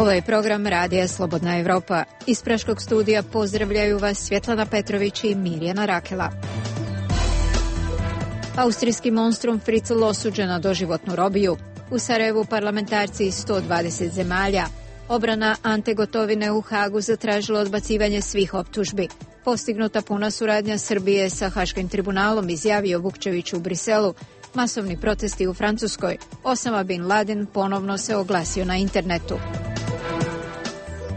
Ovo je program Radija Slobodna Evropa. Iz Praškog studija pozdravljaju vas Svjetlana Petrović i Mirjana Rakela. Austrijski monstrum Fritzl osuđen na doživotnu robiju. U Sarajevu parlamentarci iz 120 zemalja. Obrana Ante Gotovine u Hagu zatražila odbacivanje svih optužbi. Postignuta puna suradnja Srbije sa Haškim tribunalom, izjavio Vukčević u Briselu. Masovni protesti u Francuskoj. Osama bin Laden ponovno se oglasio na internetu.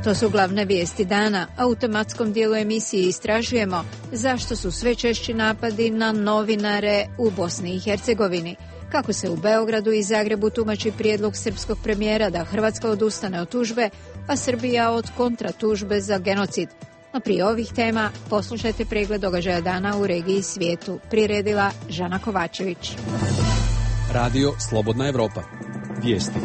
To su glavne vijesti dana. A u tematskom dijelu emisije istražujemo zašto su sve češći napadi na novinare u Bosni i Hercegovini. Kako se u Beogradu i Zagrebu tumači prijedlog srpskog premijera da Hrvatska odustane od tužbe, a Srbija od kontratužbe za genocid. No prije ovih tema poslušajte pregled događaja dana u regiji i svijetu. Priredila Žana Kovačević. Radio Slobodna Evropa. Vijesti.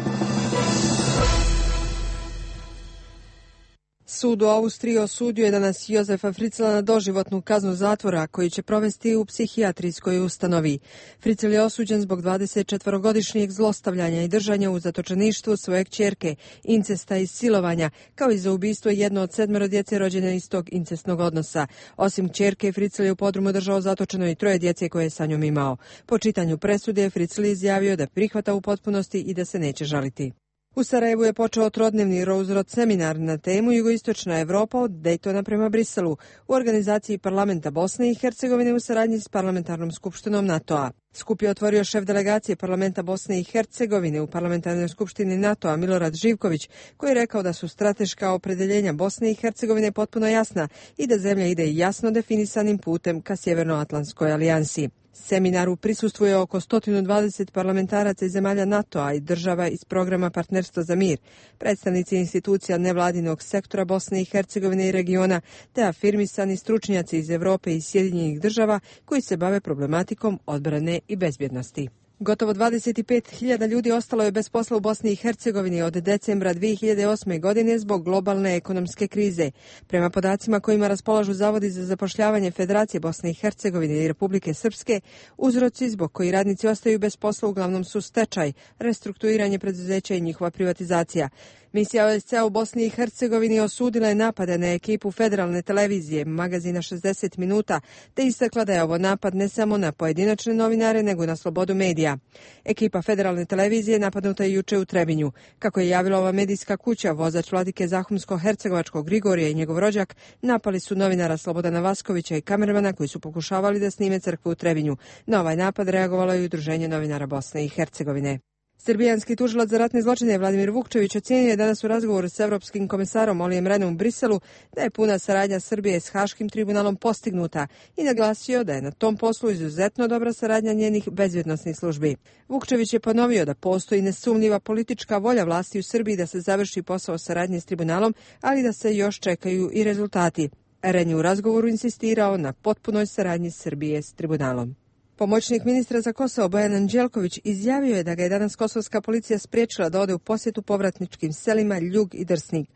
Sud u Austriji osudio je danas Jozefa Fritzla na doživotnu kaznu zatvora koji će provesti u psihijatrijskoj ustanovi. Fritzl je osuđen zbog 24-godišnjeg zlostavljanja i držanja u zatočeništvu svoje kćerke, incesta i silovanja, kao i za ubistvo jedno od 7 djece rođene iz tog incestnog odnosa. Osim kćerke, Fritzl je u podrumu držao zatočeno i 3 djece koje je sa njom imao. Po čitanju presude, Fritzl je izjavio da prihvata u potpunosti i da se neće žaliti. U Sarajevu je počeo trodnevni Rose-Road seminar na temu Jugoistočna Evropa od Daytona prema Briselu u organizaciji Parlamenta Bosne i Hercegovine u saradnji s Parlamentarnom skupštinom NATO-a. Skup je otvorio šef delegacije Parlamenta Bosne i Hercegovine u Parlamentarnoj skupštini NATO-a Milorad Živković, koji je rekao da su strateška opredeljenja Bosne i Hercegovine potpuno jasna i da zemlja ide jasno definisanim putem ka Sjevernoatlantskoj alijansi. Seminaru prisustvuje oko 120 parlamentaraca iz zemalja NATO-a i država iz programa Partnerstvo za mir, predstavnici institucija nevladinog sektora Bosne i Hercegovine i regiona, te afirmisani stručnjaci iz Evrope i Sjedinjenih država koji se bave problematikom odbrane i bezbjednosti. Gotovo 25.000 ljudi ostalo je bez posla u Bosni i Hercegovini od decembra 2008. godine zbog globalne ekonomske krize. Prema podacima kojima raspolažu Zavodi za zapošljavanje Federacije Bosne i Hercegovine i Republike Srpske, uzroci zbog koji radnici ostaju bez posla uglavnom su stečaj, restrukturiranje preduzeća i njihova privatizacija. Misija OSCE u Bosni i Hercegovini osudila je napade na ekipu federalne televizije, magazina 60 minuta, te istakla da je ovo napad ne samo na pojedinačne novinare, nego na slobodu medija. Ekipa federalne televizije napadnuta je juče u Trebinju. Kako je javila ova medijska kuća, vozač vladike Zahumsko-hercegovačkog Grigorija i njegov rođak napali su novinara Slobodana Vaskovića i kamermana koji su pokušavali da snime crkvu u Trebinju. Na ovaj napad reagovalo je Udruženje novinara Bosne i Hercegovine. Srbijanski tužilac za ratne zločine Vladimir Vukčević ocijenio je danas u razgovoru s Evropskim komisarom Olijem Rehnom u Briselu da je puna saradnja Srbije s Haškim tribunalom postignuta i naglasio da je na tom poslu izuzetno dobra saradnja njenih bezbjednosnih službi. Vukčević je ponovio da postoji nesumnjiva politička volja vlasti u Srbiji da se završi posao saradnje s tribunalom, ali da se još čekaju i rezultati. Rehn je u razgovoru insistirao na potpunoj saradnji Srbije s tribunalom. Pomoćnik ministra za Kosovo Bojan Anđelković izjavio je da ga je danas kosovska policija spriječila da ode u posjetu povratničkim selima Ljug i Drsnik.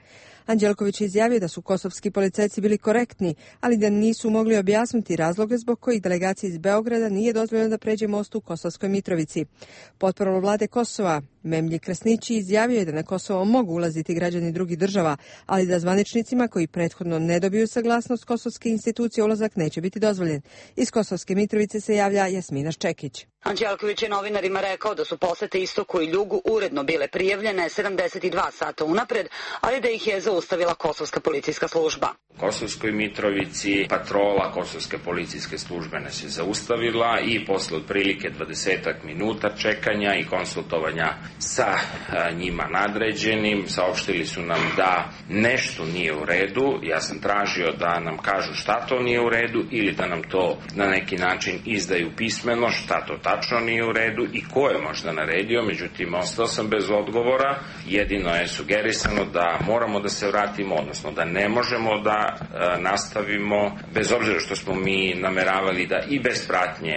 Anđelković je izjavio da su kosovski policajci bili korektni, ali da nisu mogli objasniti razloge zbog kojih delegaciji iz Beograda nije dozvoljeno da pređe most u Kosovskoj Mitrovici. Potporol vlade Kosova Memlji Krasnići izjavio je da na Kosovo mogu ulaziti građani drugih država, ali da zvaničnicima koji prethodno ne dobiju saglasnost kosovske institucije ulazak neće biti dozvoljen. Iz Kosovske Mitrovice se javlja Jasmina Ščekić. Anđelković je novinarima rekao da su posete Istoku i Ljugu uredno bile prijavljene 72 sata unapred, ali da ih je zaustavila kosovska policijska služba. U Kosovskoj Mitrovici patrola kosovske policijske službe nas je zaustavila i posle otprilike 20 minuta čekanja i konsultovanja sa njima nadređenim saopštili su nam da nešto nije u redu. Ja sam tražio da nam kažu šta to nije u redu ili da nam to na neki način izdaju pismeno, šta to tačno nije u redu i ko je možda naredio, međutim ostao sam bez odgovora. Jedino je sugerisano da moramo da se vratimo, odnosno da ne možemo da nastavimo, bez obzira što smo mi nameravali da i bez pratnje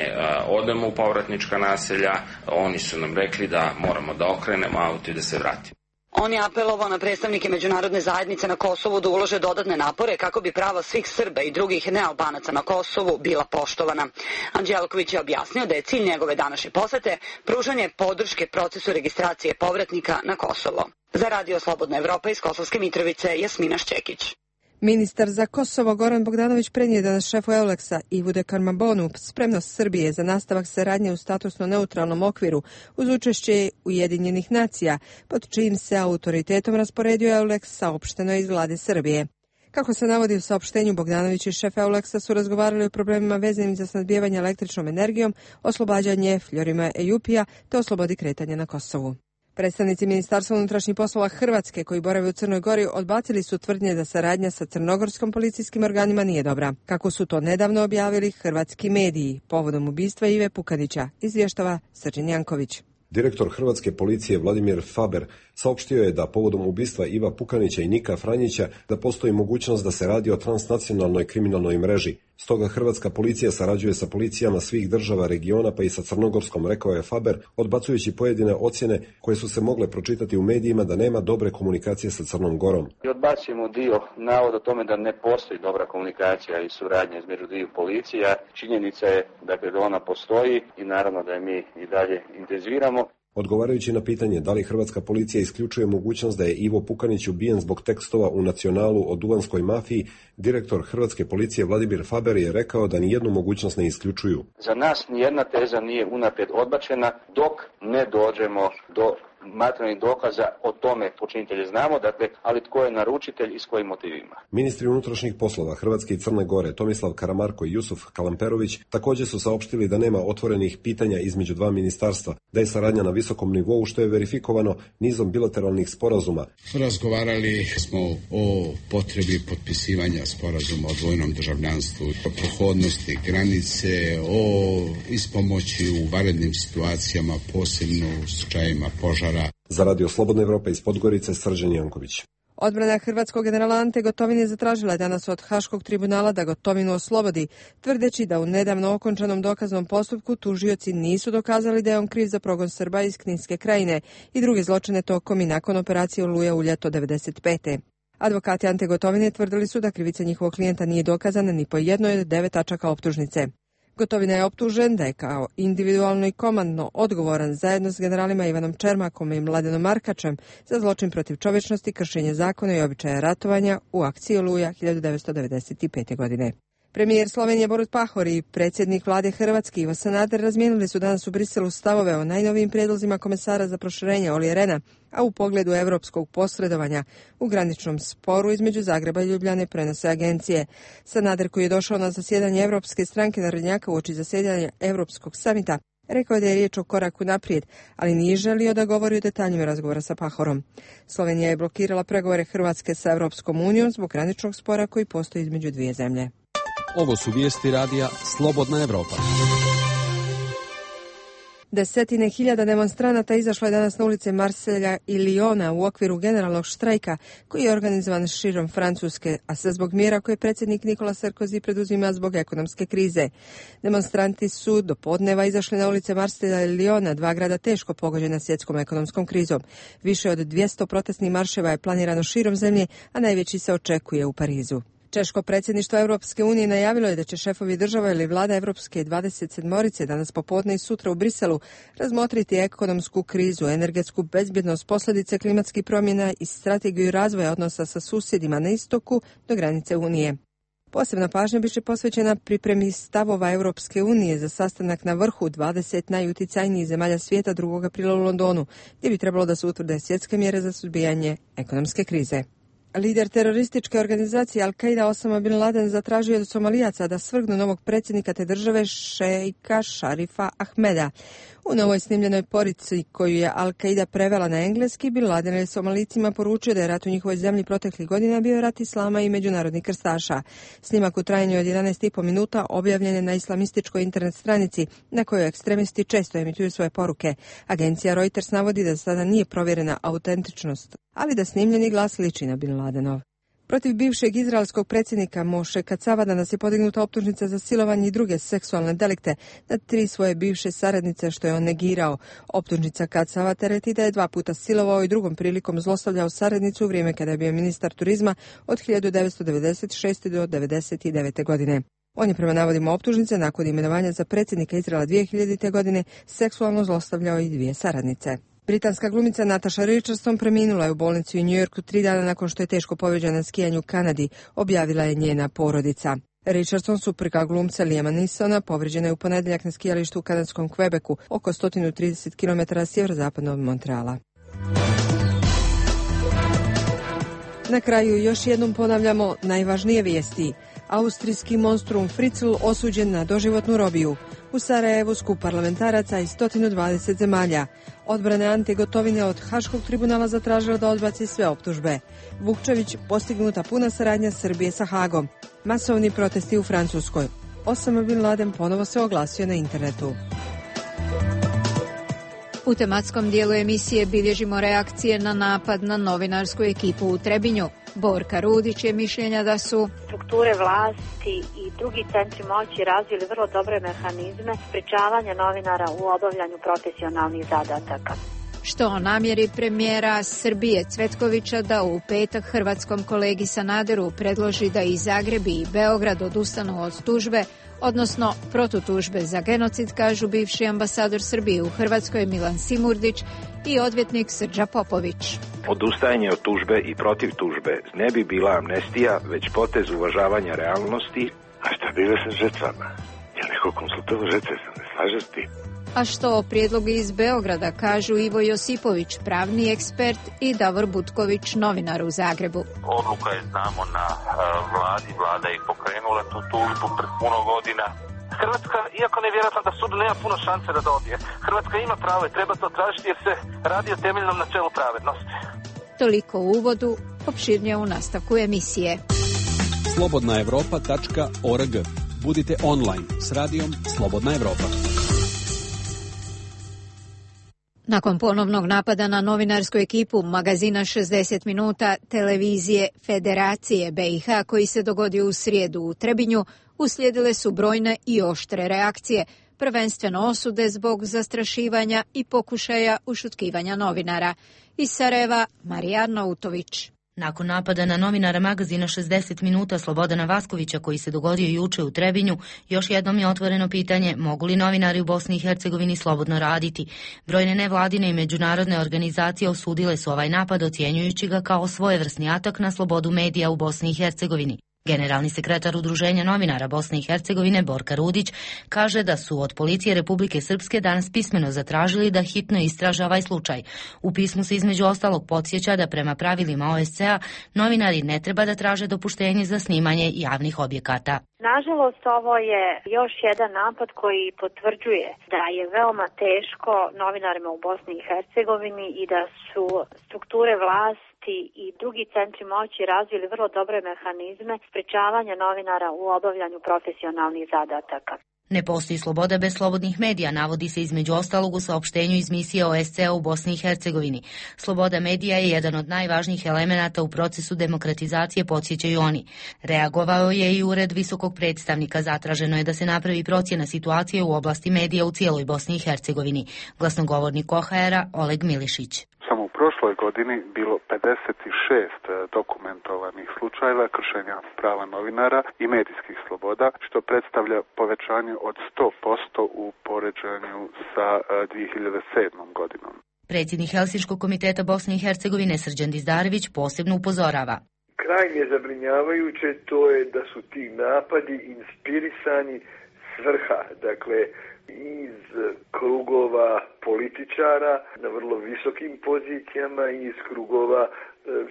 odemo u povratnička naselja, oni su nam rekli da moramo da okrenemo auto i da se vratimo. On je apelovao na predstavnike međunarodne zajednice na Kosovu da ulože dodatne napore kako bi prava svih Srba i drugih nealbanaca na Kosovu bila poštovana. Anđelković je objasnio da je cilj njegove današnje posete pružanje podrške procesu registracije povratnika na Kosovo. Za Radio Slobodna Evropa iz Kosovske Mitrovice, Jasmina Šćekić. Ministar za Kosovo Goran Bogdanović prenio danas šefu EULEX-a Ivu Dekarmabonu spremnost Srbije za nastavak saradnje u statusno neutralnom okviru uz učešće Ujedinjenih nacija, pod čijim se autoritetom rasporedio EULEX saopšteno iz vlade Srbije. Kako se navodi u saopštenju, Bogdanović i šef EULEX-a su razgovarali o problemima vezanim za snabdijevanje električnom energijom, oslobađanje Fljorima Ejupija te o slobodi kretanja na Kosovu. Predstavnici Ministarstva unutrašnjih poslova Hrvatske koji borave u Crnoj Gori odbacili su tvrdnje da saradnja sa crnogorskim policijskim organima nije dobra, kako su to nedavno objavili hrvatski mediji povodom ubistva Ive Pukanića, izvještava Srđan Janković. Direktor hrvatske policije Vladimir Faber saopštio je da povodom ubistva Iva Pukanića i Nika Franjića da postoji mogućnost da se radi o transnacionalnoj kriminalnoj mreži. Stoga hrvatska policija sarađuje sa policijama svih država regiona pa i sa crnogorskom, rekao je Faber, odbacujući pojedine ocjene koje su se mogle pročitati u medijima da nema dobre komunikacije sa Crnom Gorom. I odbacujemo dio navoda o tome da ne postoji dobra komunikacija i suradnja između dviju policija. Činjenica je da ona postoji i naravno da je mi i dalje intenziviramo. Odgovarajući na pitanje da li hrvatska policija isključuje mogućnost da je Ivo Pukanić ubijen zbog tekstova u Nacionalu o duvanskoj mafiji, direktor hrvatske policije Vladimir Faber je rekao da nijednu mogućnost ne isključuju. Za nas nijedna teza nije unaprijed odbačena dok ne dođemo do materijalnih dokaza o tome počinitelje znamo, ali tko je naručitelj i s kojim motivima. Ministri unutrašnjih poslova Hrvatske i Crne Gore Tomislav Karamarko i Jusuf Kalamperović također su saopštili da nema otvorenih pitanja između dva ministarstva, da je saradnja na visokom nivou što je verifikovano nizom bilateralnih sporazuma. Razgovarali smo o potrebi potpisivanja sporazuma o dvojnom državljanstvu, o prohodnosti granice, o ispomoći u vanrednim situacijama, posebno u slučajevima požara. Za Radio Slobodna Evropa iz Podgorice, Srđan Janković. Odbrana hrvatskog generala Ante Gotovine zatražila je danas od Haškog tribunala da Gotovinu oslobodi, tvrdeći da u nedavno okončanom dokaznom postupku tužioci nisu dokazali da je on kriv za progon Srba iz Kninske krajine i druge zločine tokom i nakon operacije Oluja u ljeto 1995. Advokati Ante Gotovine tvrdili su da krivica njihovog klijenta nije dokazana ni po jednoj od 9 tačaka optužnice. Gotovina je optužen da je kao individualno i komandno odgovoran zajedno s generalima Ivanom Čermakom i Mladenom Markačem za zločin protiv čovječnosti, kršenje zakona i običaja ratovanja u akciji Oluja 1995. godine. Premijer Slovenije Borut Pahor i predsjednik vlade Hrvatske Ivo Sanader razmijenili su danas u Briselu stavove o najnovijim prijedlozima komesara za proširenje Olli Rehna, a u pogledu europskog posredovanja u graničnom sporu između Zagreba i Ljubljane, prenose agencije. Sanader, koji je došao na zasjedanje Europske stranke narodnjaka uoči zasjedanja Europskog samita, rekao je da je riječ o koraku naprijed, ali nije želio da govori o detaljima razgovora sa Pahorom. Slovenija je blokirala pregovore Hrvatske sa Europskom unijom zbog graničnog spora koji postoji između dvije zemlje. Ovo su vijesti radija Slobodna Evropa. Desetine hiljada demonstranata izašlo je danas na ulice Marselja i Liona u okviru generalnog štrajka koji je organizovan širom Francuske, a sve zbog mjera koje predsjednik Nicolas Sarkozy preduzima zbog ekonomske krize. Demonstranti su do podneva izašli na ulice Marselja i Liona, dva grada teško pogođena svjetskom ekonomskom krizom. Više od 200 protestnih marševa je planirano širom zemlje, a najveći se očekuje u Parizu. Češko predsjedništvo Europske unije najavilo je da će šefovi država ili vlada Europske 27 danas popodne i sutra u Briselu razmotriti ekonomsku krizu, energetsku bezbjednost, posljedice klimatskih promjena i strategiju razvoja odnosa sa susjedima na istoku do granice Unije. Posebna pažnja biće posvećena pripremi stavova Europske unije za sastanak na vrhu 20 najuticajnijih zemalja svijeta 2. aprila u Londonu, gdje bi trebalo da se utvrde svjetske mjere za suzbijanje ekonomske krize. Lider terorističke organizacije Al-Qaida Osama bin Laden zatražio je od Somalijaca da svrgnu novog predsjednika te države šejka Šarifa Ahmeda. U novoj snimljenoj porici koju je Al-Qaida prevela na engleski, bin Laden je Somalicima poručio da je rat u njihovoj zemlji proteklih godina bio rat islama i međunarodnih krstaša. Snimak u trajanju od 11,5 minuta objavljen je na islamističkoj internet stranici na kojoj ekstremisti često emituju svoje poruke. Agencija Reuters navodi da sada nije provjerena autentičnost, ali da snimljeni glas liči na bin Ladenov. Protiv bivšeg izraelskog predsjednika Moše Kacava danas je podignuta optužnica za silovanje i druge seksualne delikte nad 3 svoje bivše saradnice, što je on negirao. Optužnica Kacava tereti da je 2 puta silovao i drugom prilikom zlostavljao saradnicu u vrijeme kada je bio ministar turizma od 1996. do 1999. godine. On je prema navodima optužnice nakon imenovanja za predsjednika Izraela 2000. godine seksualno zlostavljao i 2 saradnice. Britanska glumica Natasha Richardson preminula je u bolnici u New Yorku 3 dana nakon što je teško povrijeđena na skijanju u Kanadi, objavila je njena porodica. Richardson, supruga glumca Liama Neesona, povrijeđena je u ponedjeljak na skijalištu u kanadskom Quebecu, oko 130 km sjeverozapadno od Montreala. Na kraju još jednom ponavljamo najvažnije vijesti. Austrijski monstrum Fritzl osuđen na doživotnu robiju. U Sarajevu skup parlamentaraca iz 120 zemalja. Odbrana Ante Gotovine od Haškog tribunala zatražila da odbaci sve optužbe. Vukčević, postignuta puna saradnja Srbije sa Hagom. Masovni protesti u Francuskoj. Osama Bin Laden ponovo se oglasio na internetu. U tematskom dijelu emisije bilježimo reakcije na napad na novinarsku ekipu u Trebinju. Borka Rudić je mišljenja da su strukture vlasti i drugi centri moći razvili vrlo dobre mehanizme sprečavanja novinara u obavljanju profesionalnih zadataka. Što o namjeri premijera Srbije Cvetkovića da u petak hrvatskom kolegi Sanaderu predloži da i Zagreb i Beograd odustanu od tužbe, odnosno protutužbe za genocid, kažu bivši ambasador Srbije u Hrvatskoj Milan Simurdić i odvjetnik Srđa Popović. Odustajanje od tužbe i protiv tužbe ne bi bila amnestija, već potez uvažavanja realnosti. A šta bilo sa žrtvama? Je neko konsultovao žrtve, se ne slaže s tim? A što o prijedlogu iz Beograda kažu Ivo Josipović, pravni ekspert, i Davor Butković, novinar u Zagrebu. Odluka je, znamo, na vladi, vlada je pokrenula tu tužbu pred puno godina. Hrvatska, iako nevjerojatno da sud nema puno šanse da dobije, Hrvatska ima pravo i treba to tražiti jer se radi o temeljnom načelu pravednosti. Toliko u uvodu, opširnije u nastavku emisije. Slobodnaevropa.org. Budite online s radijom Slobodna Evropa. Nakon ponovnog napada na novinarsku ekipu magazina 60 minuta televizije Federacije BiH koji se dogodio u srijedu u Trebinju, uslijedile su brojne i oštre reakcije, prvenstveno osude zbog zastrašivanja i pokušaja ušutkivanja novinara. Iz Sarajeva, Marija Arnautović. Nakon napada na novinara magazina 60 minuta Slobodana Vaskovića koji se dogodio juče u Trebinju, još jednom je otvoreno pitanje mogu li novinari u Bosni i Hercegovini slobodno raditi. Brojne nevladine i međunarodne organizacije osudile su ovaj napad ocjenjujući ga kao svojevrsni atak na slobodu medija u Bosni i Hercegovini. Generalni sekretar Udruženja novinara Bosne i Hercegovine Borka Rudić kaže da su od policije Republike Srpske danas pismeno zatražili da hitno istraže ovaj slučaj. U pismu se između ostalog podsjeća da prema pravilima OSCE-a novinari ne treba da traže dopuštenje za snimanje javnih objekata. Nažalost, ovo je još jedan napad koji potvrđuje da je veoma teško novinarima u Bosni i Hercegovini i da su strukture vlasti i drugi centri moći razvili vrlo dobre mehanizme sprečavanja novinara u obavljanju profesionalnih zadataka. Ne postoji sloboda bez slobodnih medija, navodi se između ostalog u saopštenju iz misije OSCE u Bosni i Hercegovini. Sloboda medija je jedan od najvažnijih elemenata u procesu demokratizacije, podsjećaju oni. Reagovao je i ured visokog predstavnika, zatraženo je da se napravi procjena situacije u oblasti medija u cijeloj Bosni i Hercegovini. Glasnogovornik OHR-a Oleg Milišić. Samo u prošloj godini bilo 56 dokumentovanih slučajeva kršenja prava novinara i medijskih sloboda, što predstavlja povećanje od 100% u poređenju sa 2007. godinom. Predsjednik Helsinškog komiteta Bosne i Hercegovine Srđan Dizdarević posebno upozorava. Krajnje zabrinjavajuće to je da su ti napadi inspirisani svrha, dakle iz krugova političara na vrlo visokim pozicijama i iz krugova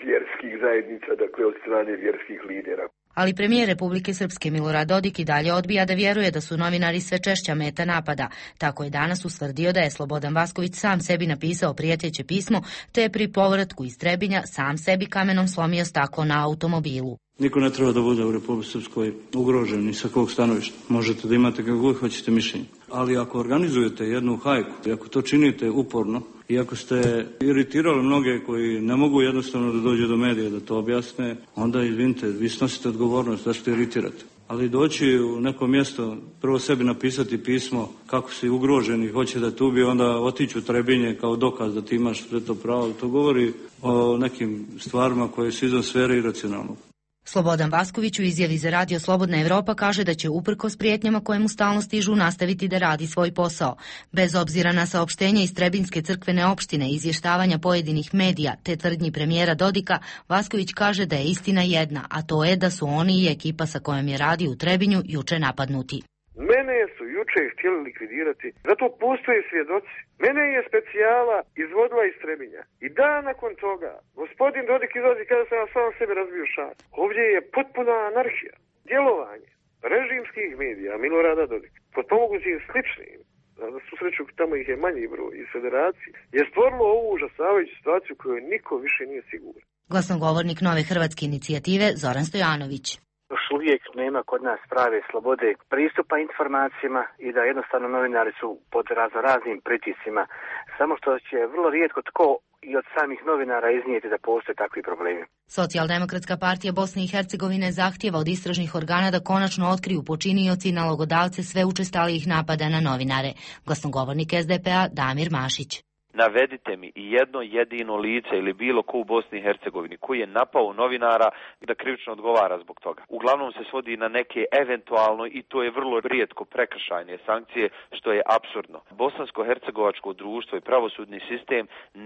vjerskih zajednica, dakle od strane vjerskih lidera. Ali premijer Republike Srpske Milorad Dodik i dalje odbija da vjeruje da su novinari sve češća meta napada. Tako je danas ustvrdio da je Slobodan Vasković sam sebi napisao prijeteće pismo, te je pri povratku iz Trebinja sam sebi kamenom slomio staklo na automobilu. Niko ne treba da bude u Republici Srpskoj ugrožen ni sa kog stanovišta. Možete da imate kako god hoćete mišljenje. Ali ako organizujete jednu hajku, i ako to činite uporno, i ako ste iritirali mnoge koji ne mogu jednostavno da dođu do medija da to objasne, onda izvinite, vi snosite odgovornost da što iritirate. Ali doći u neko mjesto, prvo sebi napisati pismo kako si ugrožen i hoće da te ubije, onda otići u Trebinje kao dokaz da ti imaš sve to pravo. To govori o nekim stvarima koje su izvan sfere iracionalnog. Slobodan Vasković u izjavi za Radio Slobodna Evropa kaže da će uprkos prijetnjama koje mu stalno stižu nastaviti da radi svoj posao. Bez obzira na saopštenje iz Trebinjske crkvene opštine i izvještavanja pojedinih medija te tvrdnji premijera Dodika, Vasković kaže da je istina jedna, a to je da su oni i ekipa sa kojom je radio u Trebinju juče napadnuti. Mene su juče htjeli likvidirati, zato postoje svjedoci. Mene je specijala izvodila iz Trebinja. I dan nakon toga, gospodin Dodik izlazi kada sam sam sebe razbio šat. Ovdje je potpuna anarhija, djelovanje režimskih medija, Milorada Dodika, pod pomogućim sličnim, na svu sreću tamo ih je manji broj iz federacije, je stvorilo ovu užasavajuću situaciju koju niko više nije siguran. Glasnogovornik Nove hrvatske inicijative Zoran Stojanović. Još uvijek nema kod nas prave slobode pristupa informacijama i da jednostavno novinari su pod raznim pritiscima. Samo što će vrlo rijetko tko i od samih novinara iznijeti da postoje takvi problemi. Socijaldemokratska partija Bosne i Hercegovine zahtijeva od istražnih organa da konačno otkriju počinioci i nalogodavce sve učestalijih napada na novinare. Glasnogovornik SDP-a Damir Mašić. Navedite mi i jedno jedino lice ili bilo ko u Bosni i Hercegovini koji je napao novinara da krivično odgovara zbog toga. Uglavnom se svodi na neke eventualno, i to je vrlo rijetko, prekršajne sankcije, što je apsurdno. Bosansko-hercegovačko društvo i pravosudni sistem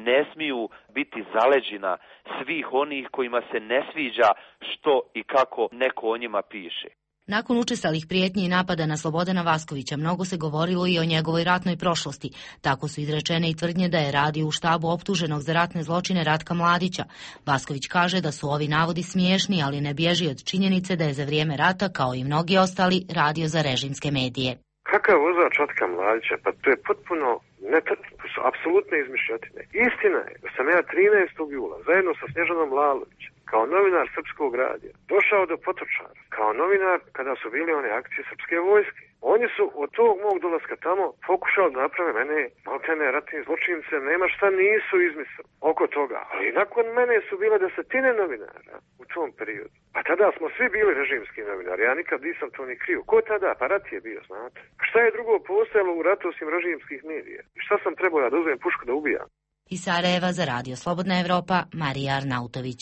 ne smiju biti zaleđina svih onih kojima se ne sviđa što i kako neko o njima piše. Nakon učestalih prijetnji i napada na Slobodana Vaskovića, mnogo se govorilo i o njegovoj ratnoj prošlosti. Tako su izrečene i tvrdnje da je radio u štabu optuženog za ratne zločine Ratka Mladića. Vasković kaže da su ovi navodi smiješni, ali ne bježi od činjenice da je za vrijeme rata, kao i mnogi ostali, radio za režimske medije. Kakav vozač Ratka Mladića? Pa to je potpuno netačno, to su apsolutne izmišljotine. Istina je da sam ja 13. jula zajedno sa Snježanom Lalovićem, kao novinar Srpskog radija, došao do Potočara, kao novinar kada su bile one akcije Srpske vojske. Oni su od tog mog dolaska tamo pokušali da naprave mene maltene ratnim zločincem, nema šta nisu izmislili oko toga. Ali nakon mene su bile desetine novinara u tom periodu. A tada smo svi bili režimski novinari, ja nikad nisam to ni krio. Ko tada? Pa rat je bio, znate. Šta je drugo postojalo u ratu osim režimskih medija? I šta sam trebao ja da uzmem pušku da ubijam? Iz Sarajeva za Radio Slobodna Evropa, Marija Arnautović.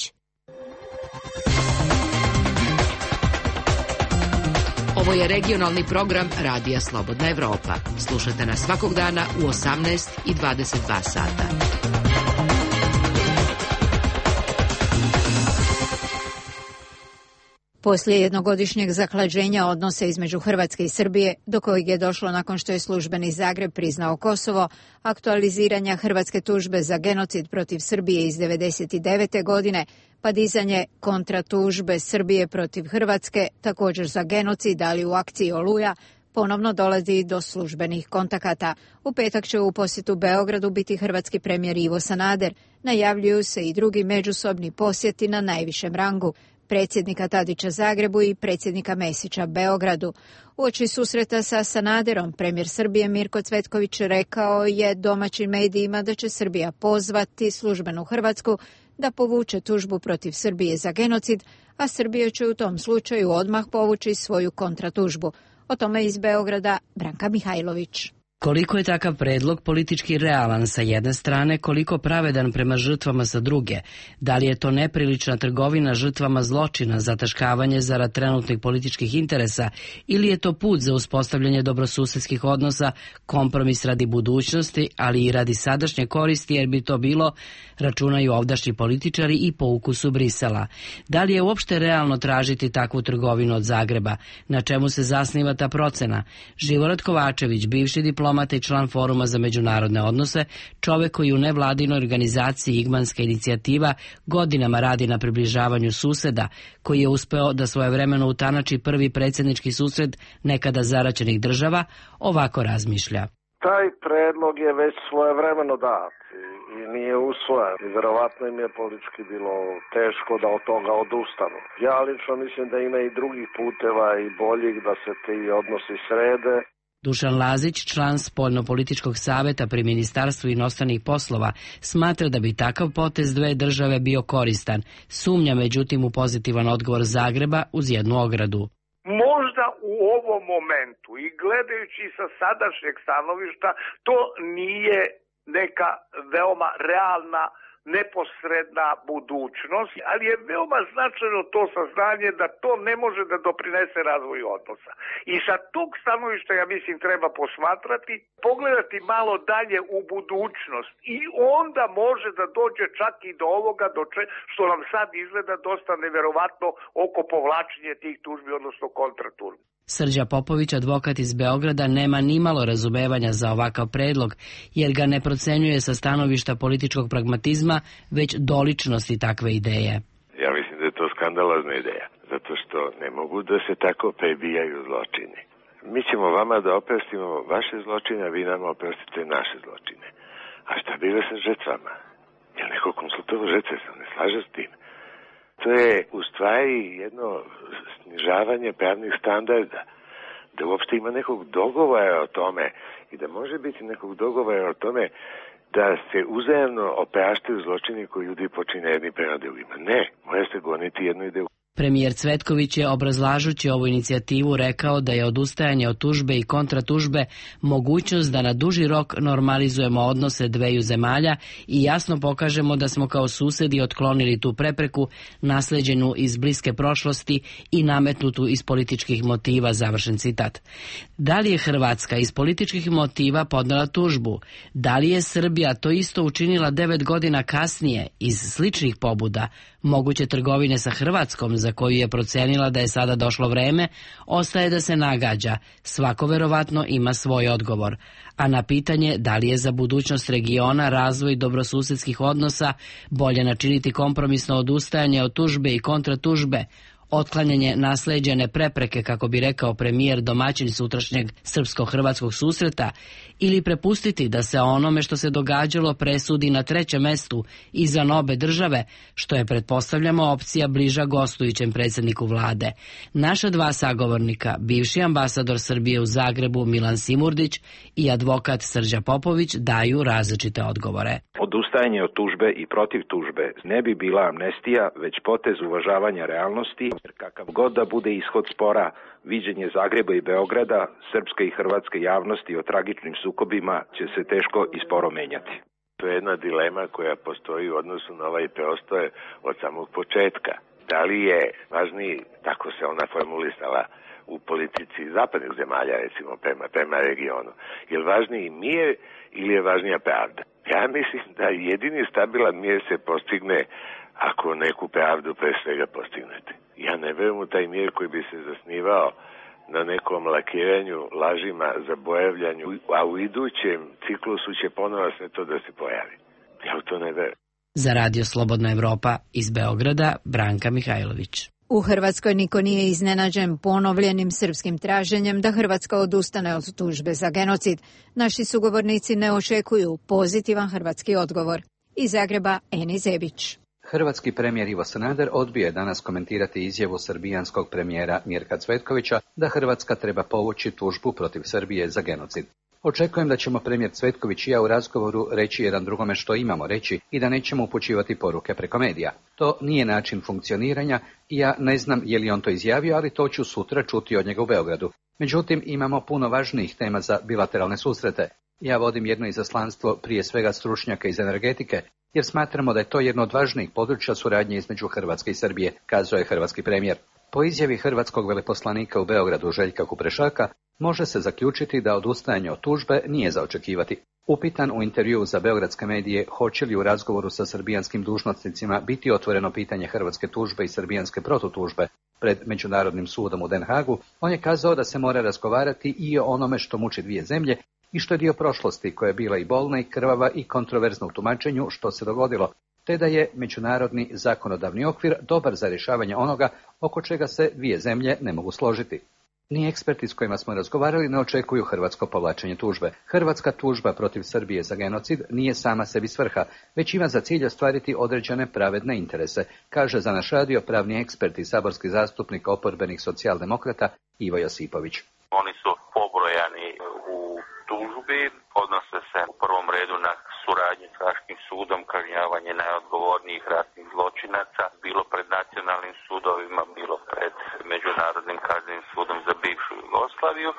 Ovo je regionalni program Radija Slobodna Evropa. Slušajte nas svakog dana u 18 i 22 sata. Poslije jednogodišnjeg zahlađenja odnosa između Hrvatske i Srbije, do kojeg je došlo nakon što je službeni Zagreb priznao Kosovo, aktualiziranja hrvatske tužbe za genocid protiv Srbije iz 1999. godine, pa dizanje kontratužbe Srbije protiv Hrvatske, također za genocid, ali u akciji Oluja, ponovno dolazi do službenih kontakata. U petak će u posjetu Beogradu biti hrvatski premijer Ivo Sanader. Najavljuju se i drugi međusobni posjeti na najvišem rangu, predsjednika Tadića Zagrebu i predsjednika Mesića Beogradu. Uoči susreta sa Sanaderom, premijer Srbije Mirko Cvetković rekao je domaćim medijima da će Srbija pozvati službenu Hrvatsku da povuče tužbu protiv Srbije za genocid, a Srbija će u tom slučaju odmah povući svoju kontratužbu. O tome iz Beograda Branka Mihajlović. Koliko je takav predlog politički realan sa jedne strane, koliko pravedan prema žrtvama sa druge? Da li je to neprilična trgovina žrtvama zločina, zataškavanje zarad trenutnih političkih interesa, ili je to put za uspostavljanje dobrosusedskih odnosa, kompromis radi budućnosti, ali i radi sadašnje koristi, jer bi to bilo, računaju ovdašnji političari, i po ukusu Brisela. Da li je uopšte realno tražiti takvu trgovinu od Zagreba? Na čemu se zasniva ta procena? Živorad Kovačević, bivši diplomata i član Foruma za međunarodne odnose, čovek koji u nevladinoj organizaciji Igmanska inicijativa godinama radi na približavanju suseda, koji je uspeo da svojevremeno utanači prvi predsjednički susret nekada zaraćenih država, ovako razmišlja. Taj predlog je već svojevremeno dat i nije usvojen. I verovatno im je politički bilo teško da od toga odustanu. Ja lično mislim da ima i drugih puteva i boljih da se ti odnosi srede. Dušan Lazić, član Spoljno-političkog saveta pri Ministarstvu inostranih poslova, smatra da bi takav potez dve države bio koristan. Sumnja međutim u pozitivan odgovor Zagreba uz jednu ogradu. Možda u ovom momentu i gledajući sa sadašnjeg stanovišta to nije neka veoma realna neposredna budućnost, ali je veoma značajno to saznanje da to ne može da doprinese razvoju odnosa. I sa tog stanovišta, ja mislim, treba posmatrati, pogledati malo dalje u budućnost i onda može da dođe čak i do ovoga što nam sad izgleda dosta neverovatno oko povlačenja tih tužbi, odnosno kontratužbi. Srđa Popović, advokat iz Beograda, nema nimalo razumevanja za ovakav predlog, jer ga ne procenjuje sa stanovišta političkog pragmatizma, već doličnosti takve ideje. Ja mislim da je to skandalozna ideja, zato što ne mogu da se tako prebijaju zločini. Mi ćemo vama da oprostimo vaše zločine, a vi nama oprostite naše zločine. A šta bilo sa žrtvama? Je li neko konsultovao žrtve? Se ne slaže s tim? To je u stvari jedno snižavanje pravnih standarda, da uopšte ima nekog dogovora o tome i da može biti nekog dogovora o tome da se uzajamno opraštaju zločini koji ljudi počine jedni prema drugima. Ne, mora se goniti jednu ideju. Premijer Cvetković je, obrazlažući ovu inicijativu, rekao da je odustajanje od tužbe i kontratužbe mogućnost da na duži rok normalizujemo odnose dveju zemalja i jasno pokažemo da smo kao susedi otklonili tu prepreku nasleđenu iz bliske prošlosti i nametnutu iz političkih motiva, završen citat. Da li je Hrvatska iz političkih motiva podnela tužbu? Da li je Srbija to isto učinila 9 godina kasnije iz sličnih pobuda? Moguće trgovine sa Hrvatskom, za koju je procenila da je sada došlo vreme, ostaje da se nagađa. Svako verovatno ima svoj odgovor. A na pitanje da li je za budućnost regiona razvoj dobrosusedskih odnosa bolje načiniti kompromisno odustajanje od tužbe i kontratužbe, otklanjanje nasleđene prepreke, kako bi rekao premijer domaćin sutrašnjeg srpsko-hrvatskog susreta, ili prepustiti da se onome što se događalo presudi na trećem mestu izvan obe države, što je, pretpostavljamo, opcija bliža gostujućem predsjedniku vlade. Naša dva sagovornika, bivši ambasador Srbije u Zagrebu Milan Simurdić i advokat Srđa Popović, daju različite odgovore. Odustajanje od tužbe i protiv tužbe ne bi bila amnestija, već potez uvažavanja realnosti, jer kakav god da bude ishod spora, viđenje Zagreba i Beograda, srpske i hrvatske javnosti o tragičnim sukobima će se teško i sporo menjati. To je jedna dilema koja postoji u odnosu na ovaj preostoj od samog početka. Da li je važniji, tako se ona formulisala u politici zapadnih zemalja, recimo prema regionu, je li važniji mir ili je važnija pravda? Ja mislim da jedini stabilan mir se postigne ako neku pravdu pre svega postignete. Ja ne verujem u taj mir koji bi se zasnivao na nekom lakiranju, lažima, zaboravljanju, a u idućem ciklusu će ponovo sve to da se pojavi. Ja u to ne verujem. Za Radio Slobodna Evropa iz Beograda, Branka Mihajlović. U Hrvatskoj niko nije iznenađen ponovljenim srpskim traženjem da Hrvatska odustane od tužbe za genocid. Naši sugovornici ne očekuju pozitivan hrvatski odgovor. Iz Zagreba, Eni Zebić. Hrvatski premijer Ivo Sanader odbio je danas komentirati izjavu srbijanskog premijera Mirka Cvetkovića da Hrvatska treba povući tužbu protiv Srbije za genocid. Očekujem da ćemo premijer Cvetković i ja u razgovoru reći jedan drugome što imamo reći i da nećemo upućivati poruke preko medija. To nije način funkcioniranja i ja ne znam je li on to izjavio, ali to ću sutra čuti od njega u Beogradu. Međutim, imamo puno važnijih tema za bilateralne susrete. Ja vodim jedno izaslanstvo prije svega stručnjaka iz energetike, jer smatramo da je to jedno od važnijih područja suradnje između Hrvatske i Srbije, kazao je hrvatski premijer. Po izjavi hrvatskog veleposlanika u Beogradu Željka Kuprešaka, može se zaključiti da odustajanje od tužbe nije za očekivati. Upitan u intervjuu za beogradske medije hoće li u razgovoru sa srbijanskim dužnosnicima biti otvoreno pitanje hrvatske tužbe i srbijanske protutužbe pred Međunarodnim sudom u Den Hagu, on je kazao da se mora razgovarati i o onome što muči dvije zemlje i što je dio prošlosti koja je bila i bolna i krvava i kontroverzna u tumačenju što se dogodilo, te da je međunarodni zakonodavni okvir dobar za rješavanje onoga oko čega se dvije zemlje ne mogu složiti. Ni eksperti s kojima smo razgovarali ne očekuju hrvatsko povlačenje tužbe. Hrvatska tužba protiv Srbije za genocid nije sama sebi svrha, već ima za cilj ostvariti određene pravedne interese, kaže za naš radio pravni ekspert i saborski zastupnik oporbenih socijaldemokrata Ivo Josipović. Oni su pobrojani u tužbi, odnose se u prvom redu na suradnju s Haškim sudom, kažnjavanje najodgovornijih ratnih zločinaca, bilo pred nacionalnim sudovima, bilo pred Međunarodnim kaznenim sudom za bivšu Jugoslaviju.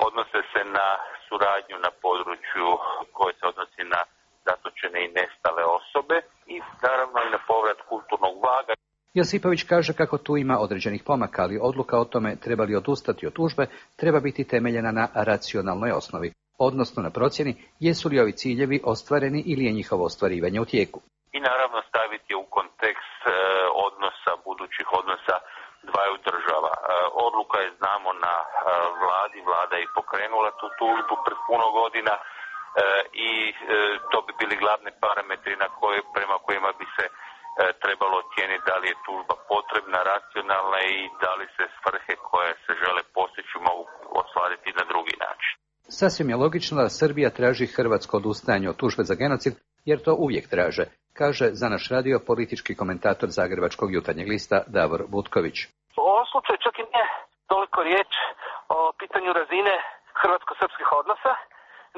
Odnose se na suradnju na području koje se odnosi na zatočene i nestale osobe i naravno i na povrat kulturnog blaga. Josipović kaže kako tu ima određenih pomaka, ali odluka o tome treba li odustati od tužbe treba biti temeljena na racionalnoj osnovi, odnosno na procjeni jesu li ovi ciljevi ostvareni ili je njihovo ostvarivanje u tijeku. I naravno staviti u kontekst odnosa, budućih odnosa dvaju država. Odluka je, znamo, na vladi, vlada je pokrenula tu tužbu pred puno godina i to bi bili glavni parametri prema kojima bi se trebalo ocijeniti da li je tužba potrebna, racionalna i da li se svrhe koje se žele postići mogu ostvariti na drugi način. Sasvim je logično da Srbija traži hrvatsko odustajanje od tužbe za genocid, jer to uvijek traže, kaže za naš radio politički komentator Zagrebačkog jutarnjeg lista Davor Butković. U ovom slučaju čak i nije toliko riječ o pitanju razine hrvatsko-srpskih odnosa,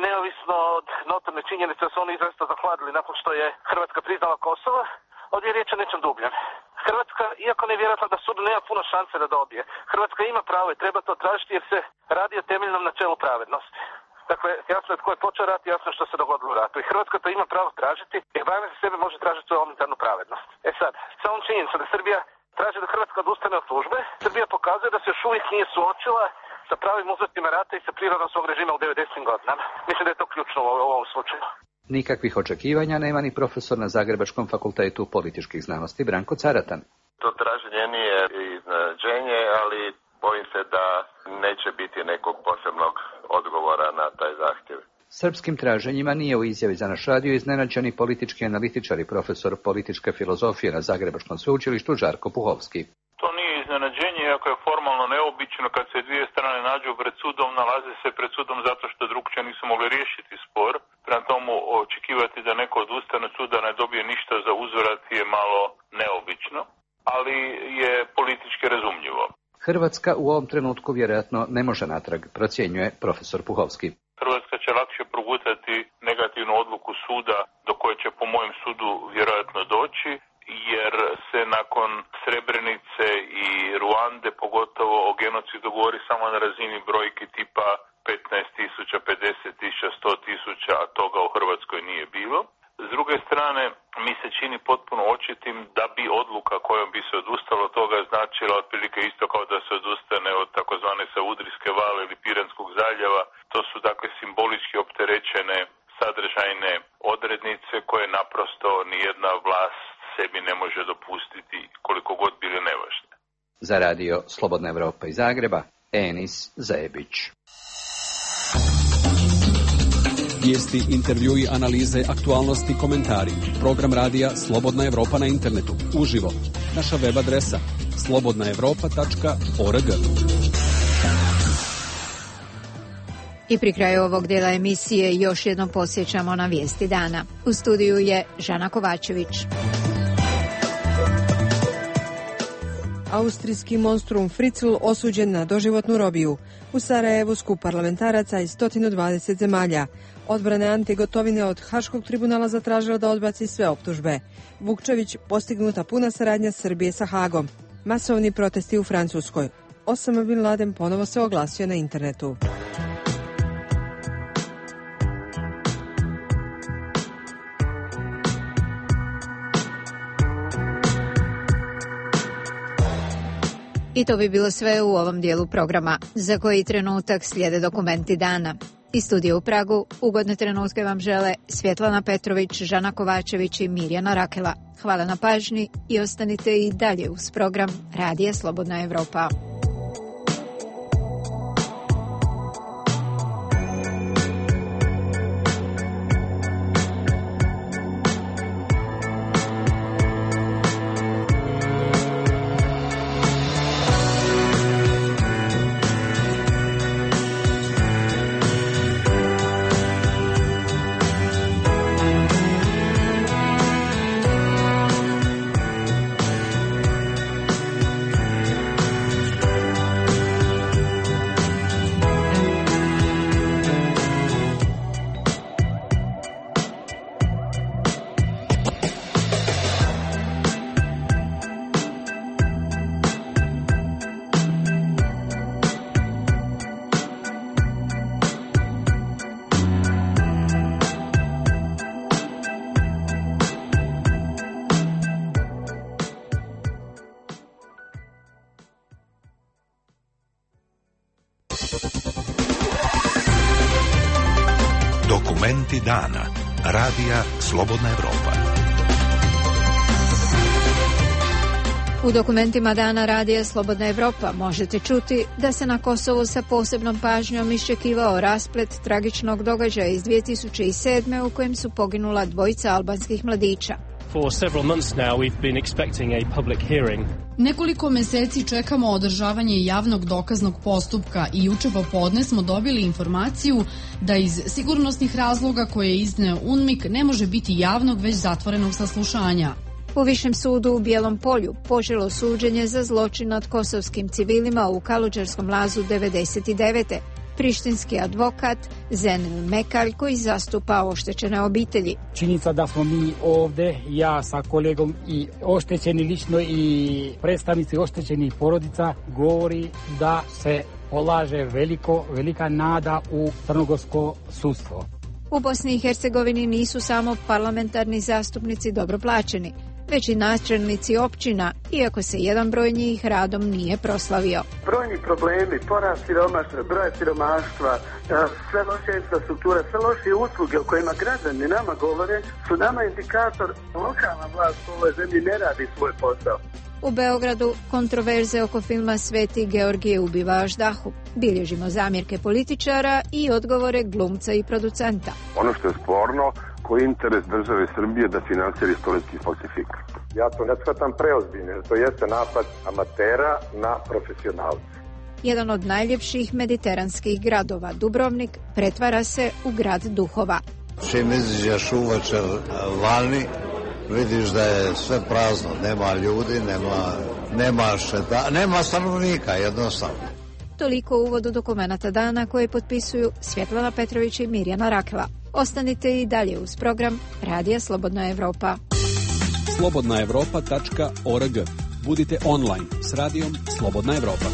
neovisno od notorne činjenice da su oni izrazito zahladili nakon što je Hrvatska priznala Kosovo. Ovdje je riječ o nečem dubljem. Hrvatska, iako nevjerojatno da sud nema puno šanse da dobije, Hrvatska ima pravo i treba to tražiti jer se radi o temeljnom načelu pravednosti. Dakle, jasno je tko je počeo rat, jasno je što se dogodilo u ratu. I Hrvatska to ima pravo tražiti, jer barem za sebe može tražiti svoju elementarnu pravednost. E sad, sa ovom činjenicom da Srbija traži da Hrvatska odustane od tužbe, Srbija pokazuje da se još uvijek nije suočila sa pravim uzrocima rata i sa prirodom svog režima u 90. godinama. Mislim da je to ključno u ovom slučaju. Nikakvih očekivanja nema ni profesor na Zagrebačkom fakultetu političkih znanosti Branko Caratan. To traženje nije iznenađenje, ali bojim se da neće biti nekog posebnog odgovora na taj zahtjev. Srpskim traženjima nije u izjavi za naš radio iznenađeni politički analitičar i profesor političke filozofije na Zagrebačkom sveučilištu Žarko Puhovski. To nije iznenađenje, iako je formalno neobično kad se dvije strane nađu pred sudom, nalaze se pred sudom zato što drugčije nisu mogli riješiti spor. Prema tomu očekivati da neko odustane od suda ne dobije ništa za uzvrat je malo neobično, ali je politički razumljivo. Hrvatska u ovom trenutku vjerojatno ne može natrag, procjenjuje profesor Puhovski. Hrvatska će lakše progutati negativnu odluku suda do koje će po mojem sudu vjerojatno doći, jer se nakon Srebrenice i Ruande pogotovo o genocidu govori samo na razini brojki tipa 15.000, 50.000, 100.000, a toga u Hrvatskoj nije bilo. S druge strane, mi se čini potpuno očitim da bi odluka kojom bi se odustalo od toga značila otprilike isto kao da se odustane od takozvane Savudrijske vale ili Piranskog zaljeva. To su dakle simbolički opterećene sadržajne odrednice koje naprosto nijedna vlast sebi ne može dopustiti koliko god bile nevažne. Za radio Slobodna Evropa iz Zagreba, Enis Zebić. Vijesti, intervjui, analize, aktualnosti, komentari. Program radija Slobodna Evropa na internetu. Uživo. Naša web adresa slobodnaevropa.org. I pri kraju ovog dela emisije još jednom podsjećamo na vijesti dana. U studiju je Žana Kovačević. Austrijski monstrum Fritzl osuđen na doživotnu robiju. U Sarajevu skup parlamentaraca iz 120 zemalja. Odbrana Ante Gotovine od Haškog tribunala zatražila da odbaci sve optužbe. Vukčević, postignuta puna saradnja Srbije sa Hagom. Masovni protesti u Francuskoj. Osama Bin Laden ponovo se oglasio na internetu. I to bi bilo sve u ovom dijelu programa, za koji trenutak slijede dokumenti dana. Iz studija u Pragu ugodne trenutke vam žele Svjetlana Petrović, Žana Kovačević i Mirjana Rakela. Hvala na pažnji i ostanite i dalje uz program Radija Slobodna Evropa. Dokumenti dana. Radija Slobodna Evropa. U dokumentima dana Radija Slobodna Evropa možete čuti da se na Kosovu sa posebnom pažnjom iščekivao rasplet tragičnog događaja iz 2007. u kojem su poginula dvojica albanskih mladića. For several months now we've been expecting a public hearing. Nekoliko meseci čekamo održavanje javnog dokaznog postupka i juče popodne smo dobili informaciju da iz sigurnosnih razloga koje je izneo UNMIK ne može biti javnog već zatvorenog saslušanja. U Višem sudu u Bijelom Polju poželo suđenje za zločin nad kosovskim civilima u Kaludžarskom lazu 99. Prištinski advokat Zenel Mekalj koji zastupa oštećene obitelji. Činjenica da smo mi ovde, ja sa kolegom i oštećeni lično i predstavnici oštećenih porodica govori da se polaže velika nada u crnogorsko sudstvo. U Bosni i Hercegovini nisu samo parlamentarni zastupnici dobro plaćeni, već i načelnici općina, iako se jedan broj njih radom nije proslavio. Brojni problemi, porast broja siromaštva, sve loše infrastruktura, sve loše usluge o kojima građani nama govore, su nama indikator lokalna vlast u ovoj zemlji ne radi svoj posao. U Beogradu kontroverze oko filma Sveti Georgije ubiva Aždahu. Bilježimo zamjerke političara i odgovore glumca i producenta. Ono što je sporno, koji je interes države Srbije da finansira istorijski falsifikat. Ja to ne shvatam preozbiljno, jer to jeste napad amatera na profesionalce. Jedan od najljepših mediteranskih gradova, Dubrovnik, pretvara se u grad duhova. Čim izađeš uvečer vani, vidiš da je sve prazno, nema ljudi, nema stanovnika, jednostavno. Toliko u uvodu dokumenata dana koje potpisuju Svjetlana Petrović i Mirjana Rakela. Ostanite i dalje uz program Radija Slobodna Evropa. slobodnaevropa.org. Budite online s radijom Slobodna Evropa.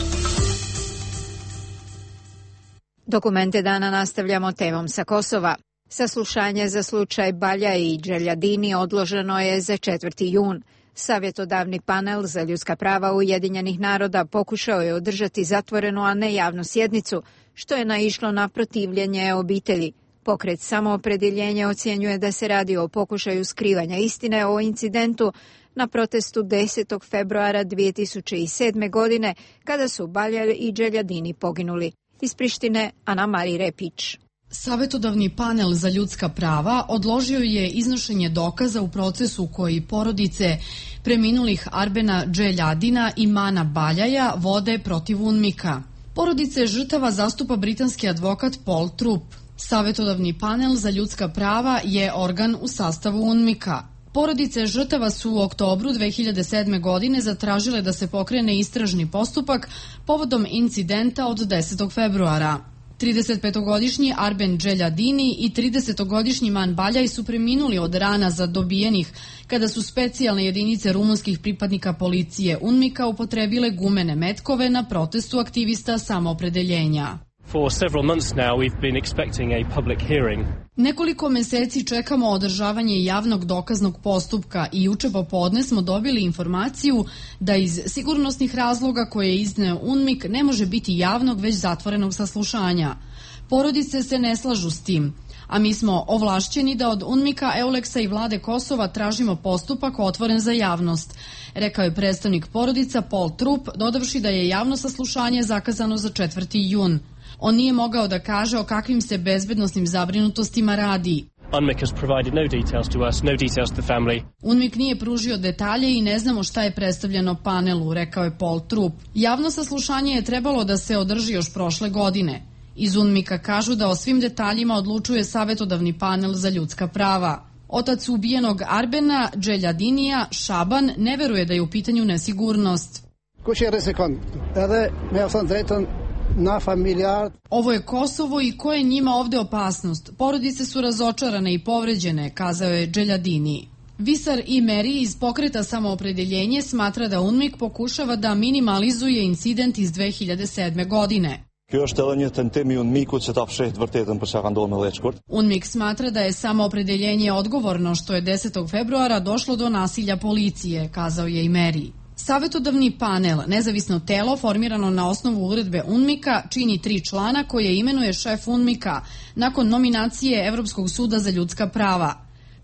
Dokumente dana nastavljamo temom sa Kosova. Saslušanje za slučaj Balja i Dželjadini odloženo je za 4. jun. Savjetodavni panel za ljudska prava Ujedinjenih naroda pokušao je održati zatvorenu, a ne javnu sjednicu, što je naišlo na protivljenje obitelji. Pokret Samoopredjeljenje ocjenjuje da se radi o pokušaju skrivanja istine o incidentu na protestu 10. februara 2007. godine, kada su Balja i Dželjadini poginuli. Iz Prištine, Ana Mari Repić. Savjetodavni panel za ljudska prava odložio je iznošenje dokaza u procesu koji porodice preminulih Arbena Dželjadina i Mana Baljaja vode protiv UNMIK-a. Porodice žrtava zastupa britanski advokat Paul Trupp. Savjetodavni panel za ljudska prava je organ u sastavu UNMIK-a. Porodice žrtava su u oktobru 2007. godine zatražile da se pokrene istražni postupak povodom incidenta od 10. februara. 35-godišnji Arben Dželjadini i 30-godišnji Man Baljaj su preminuli od rana zadobijenih kada su specijalne jedinice rumunskih pripadnika policije UNMIK-a upotrebile gumene metkove na protestu aktivista Samoopredeljenja. For several months now we've been expecting a public hearing. Nekoliko meseci čekamo održavanje javnog dokaznog postupka i juče popodne smo dobili informaciju da iz sigurnosnih razloga koje je izneo UNMIK ne može biti javnog već zatvorenog saslušanja. Porodice se ne slažu s tim, a mi smo ovlašćeni da od UNMIK-a, Euleksa i vlade Kosova tražimo postupak otvoren za javnost, rekao je predstavnik porodica Paul Trupp, dodavši da je javno saslušanje zakazano za 4. jun. On nije mogao da kaže o kakvim se bezbednosnim zabrinutostima radi. UNMIK nije pružio detalje i ne znamo šta je predstavljeno panelu, rekao je Paul Trupp. Javno saslušanje je trebalo da se održi još prošle godine. Iz UNMIK-a kažu da o svim detaljima odlučuje savjetodavni panel za ljudska prava. Otac ubijenog Arbena Dželjadinija, Šaban, ne veruje da je u pitanju nesigurnost. Ovo je Kosovo i ko je njima ovde opasnost? Porodice su razočarane i povređene, kazao je Dželjadini. Visar i Meri iz pokreta Samoopredeljenje smatra da UNMIK pokušava da minimalizuje incident iz 2007. godine. UNMIK smatra da je Samoopredeljenje odgovorno što je 10. februara došlo do nasilja policije, kazao je i Meri. Savetodavni panel, nezavisno telo formirano na osnovu uredbe UNMIK-a, čini 3 člana koje imenuje šef UNMIK-a nakon nominacije Evropskog suda za ljudska prava.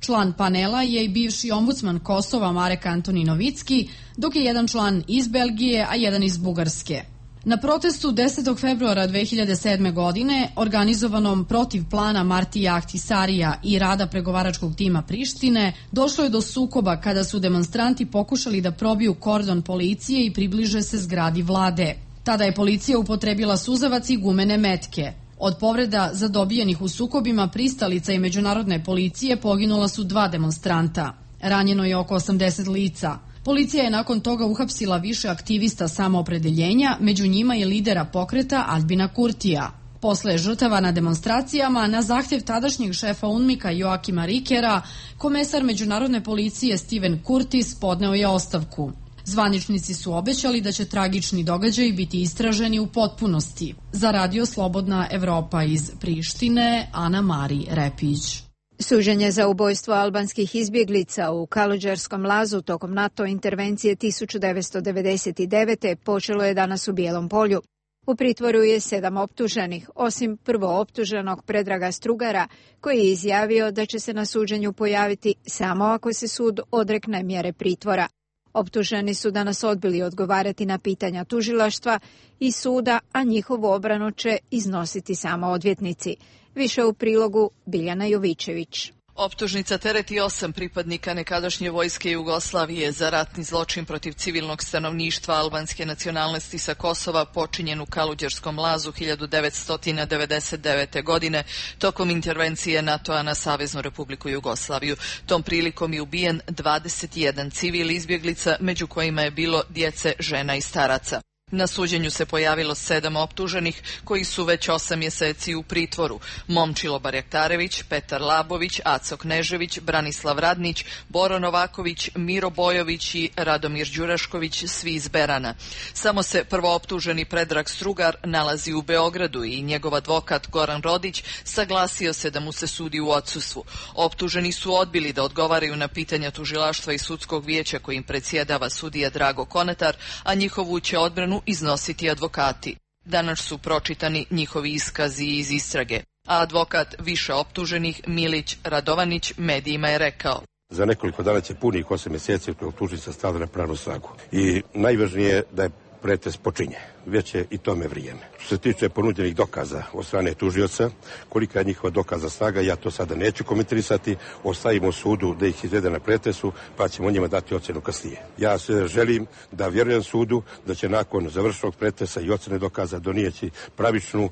Član panela je i bivši ombudsman Kosova Marek Antoni Novicki, dok je jedan član iz Belgije, a jedan iz Bugarske. Na protestu 10. februara 2007. godine, organizovanom protiv plana Martija Ahtisarija i rada pregovaračkog tima Prištine, došlo je do sukoba kada su demonstranti pokušali da probiju kordon policije i približe se zgradi vlade. Tada je policija upotrebila suzavac i gumene metke. Od povreda zadobijenih u sukobima pristalica i međunarodne policije poginula su 2 demonstranta. Ranjeno je oko 80 lica. Policija je nakon toga uhapsila više aktivista samoopredeljenja, među njima i lidera pokreta Albina Kurtija. Posle žrtava na demonstracijama, na zahtjev tadašnjeg šefa UNMIK-a Joakima Rikera, komesar međunarodne policije Steven Curtis podneo je ostavku. Zvaničnici su obećali da će tragični događaji biti istraženi u potpunosti. Za Radio Slobodna Evropa iz Prištine, Ana Mari Repić. Suđenje za ubojstvo albanskih izbjeglica u Kaluđerskom lazu tokom NATO intervencije 1999. počelo je danas u Bijelom polju. U pritvoru je 7 optuženih, osim prvooptuženog Predraga Strugara, koji je izjavio da će se na suđenju pojaviti samo ako se sud odrekne mjere pritvora. Optuženi su danas odbili odgovarati na pitanja tužilaštva i suda, a njihovu obranu će iznositi samo odvjetnici. Više u prilogu Biljana Jovićević. Optužnica tereti 8 pripadnika nekadašnje vojske Jugoslavije za ratni zločin protiv civilnog stanovništva albanske nacionalnosti sa Kosova počinjen u Kaluđerskom lazu 1999. godine tokom intervencije NATO-a na Saveznu Republiku Jugoslaviju. Tom prilikom je ubijen 21 civil izbjeglica, među kojima je bilo djece, žena i staraca. Na suđenju se pojavilo 7 optuženih koji su već 8 mjeseci u pritvoru. Momčilo Barjaktarević, Petar Labović, Aco Knežević, Branislav Radnić, Boro Novaković, Miro Bojović i Radomir Đurašković, svi iz Berana. Samo se prvooptuženi Predrag Strugar nalazi u Beogradu i njegov advokat Goran Rodić saglasio se da mu se sudi u odsustvu. Optuženi su odbili da odgovaraju na pitanja tužilaštva i sudskog vijeća kojim predsjedava sudija Drago Konatar, a njihovu će odbranu iznositi advokati. Danas su pročitani njihovi iskazi iz istrage. A advokat više optuženih Milić Radovanić medijima je rekao: Za nekoliko dana će punih 8 mjeseci od optužnica stavlja na pravnu snagu. I najvažnije je da je pretres počinje. Već je i tome vrijeme. Što se tiče ponuđenih dokaza od strane tužioca, kolika je njihova dokaza snaga, ja to sada neću komentarisati, ostavimo sudu da ih izvede na pretresu, pa ćemo njima dati ocjenu kasnije. Ja se želim da vjerujem sudu da će nakon završenog pretresa i ocjene dokaza donijeti pravičnu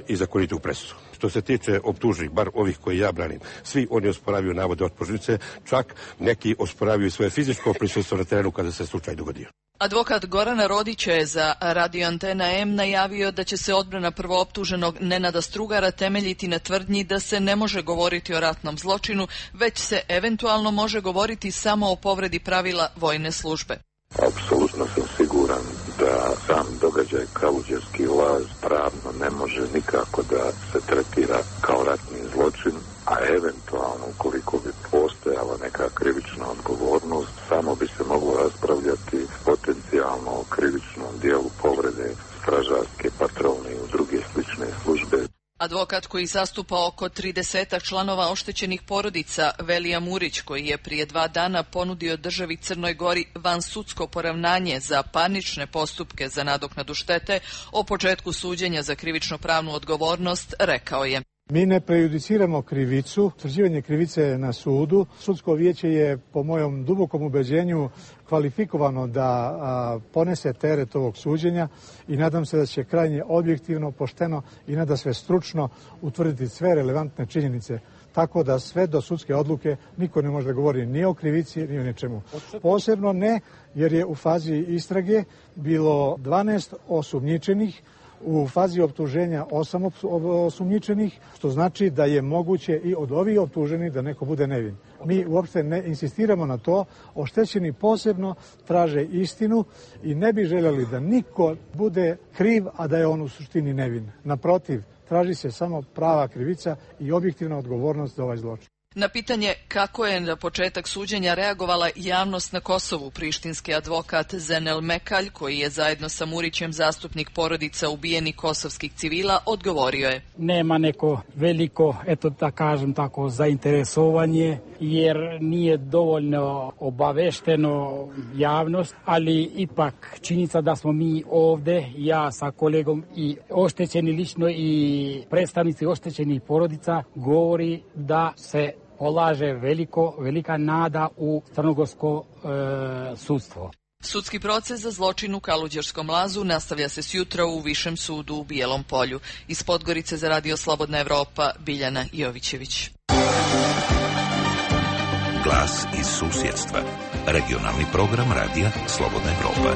i zakonitu presudu. Što se tiče optuženih, bar ovih koji ja branim, svi oni osporavaju navode optužnice, čak neki osporavaju svoje fizičko prisustvo na terenu kada se slučaj dogodio. Advokat Gorana Rodića je za Radio Antena M najavio da će se odbrana prvooptuženog Nenada Strugara temeljiti na tvrdnji da se ne može govoriti o ratnom zločinu, već se eventualno može govoriti samo o povredi pravila vojne službe. Apsolutno sam siguran da sam događaj Kaluđerski laz pravno ne može nikako da se tretira kao ratni zločin, a eventualno ukoliko bi postojala neka krivična odgovornost, samo bi se moglo raspravljati potencijalno o krivičnom dijelu povrede stražarske patrolne i druge slične službe. Advokat koji zastupa oko 30 članova oštećenih porodica, Velija Murić, koji je prije 2 dana ponudio državi Crnoj Gori vansudsko poravnanje za parnične postupke za nadoknadu štete o početku suđenja za krivično-pravnu odgovornost, rekao je: Mi ne prejudiciramo krivicu, utvrđivanje krivice je na sudu. Sudsko vijeće je, po mojom dubokom ubeđenju, kvalifikovano da ponese teret ovog suđenja i nadam se da će krajnje objektivno, pošteno i nadasve stručno utvrditi sve relevantne činjenice. Tako da sve do sudske odluke niko ne može da govori ni o krivici, ni o ničemu. Posebno ne, jer je u fazi istrage bilo 12 osumnjičenih, u fazi optuženja 8 osumnjičenih, što znači da je moguće i od ovih optuženih da neko bude nevin. Mi uopšte ne insistiramo na to, oštećeni posebno traže istinu i ne bi željeli da niko bude kriv, a da je on u suštini nevin. Naprotiv, traži se samo prava krivica i objektivna odgovornost za ovaj zločin. Na pitanje kako je na početak suđenja reagovala javnost na Kosovu, prištinski advokat Zenel Mekalj, koji je zajedno sa Murićem zastupnik porodica ubijenih kosovskih civila, odgovorio je: Nema neko veliko, eto da kažem tako, zainteresovanje, jer nije dovoljno obavešteno javnost, ali ipak činjenica da smo mi ovde, ja sa kolegom i oštećeni lično i predstavnici oštećenih porodica, govori da se polaže velika nada u crnogorsko sudstvo. Sudski proces za zločin u Kaluđerskom lazu nastavlja se sjutra u Višem sudu u Bijelom Polju. Iz Podgorice za Radio Slobodna Evropa, Biljana Jovićević. Glas iz susjedstva. Regionalni program Radija Slobodna Evropa.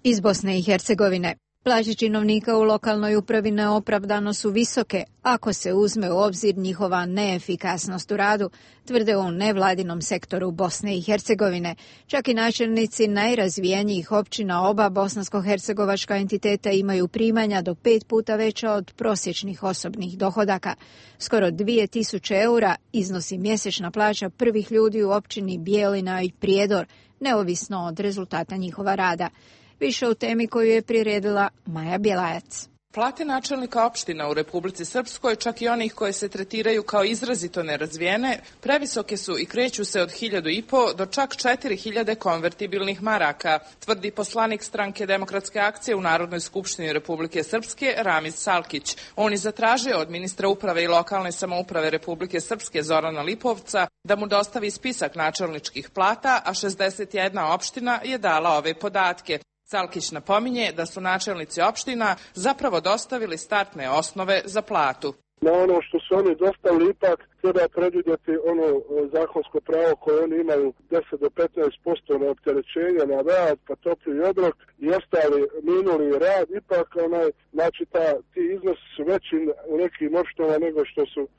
Iz Bosne i Hercegovine. Plaće činovnika u lokalnoj upravi neopravdano su visoke ako se uzme u obzir njihova neefikasnost u radu, tvrde u nevladinom sektoru Bosne i Hercegovine. Čak i načelnici najrazvijenijih općina oba bosansko-hercegovačka entiteta imaju primanja do 5 puta veća od prosječnih osobnih dohodaka. Skoro 2000 eura iznosi mjesečna plaća prvih ljudi u općini Bijelina i Prijedor, neovisno od rezultata njihova rada. Više u temi koju je priredila Maja Bjelajac. Plate načelnika opština u Republici Srpskoj, čak i onih koje se tretiraju kao izrazito nerazvijene, previsoke su i kreću se od 1.500 do čak 4.000 konvertibilnih maraka, tvrdi poslanik stranke Demokratske akcije u Narodnoj skupštini Republike Srpske Ramiz Salkić. On je zatražio od ministra uprave i lokalne samouprave Republike Srpske Zorana Lipovca da mu dostavi spisak načelničkih plata, a 61 opština je dala ove podatke. Salkić napominje da su načelnici opština zapravo dostavili startne osnove za platu. Na ono što su oni dostavili ipak treba predvidjeti ono zakonsko pravo koje oni imaju 10 do 15% na opterećenje na rad, pa topli obrok i ostali minuli rad, ipak znači ti iznosi su veći u nekim opštinama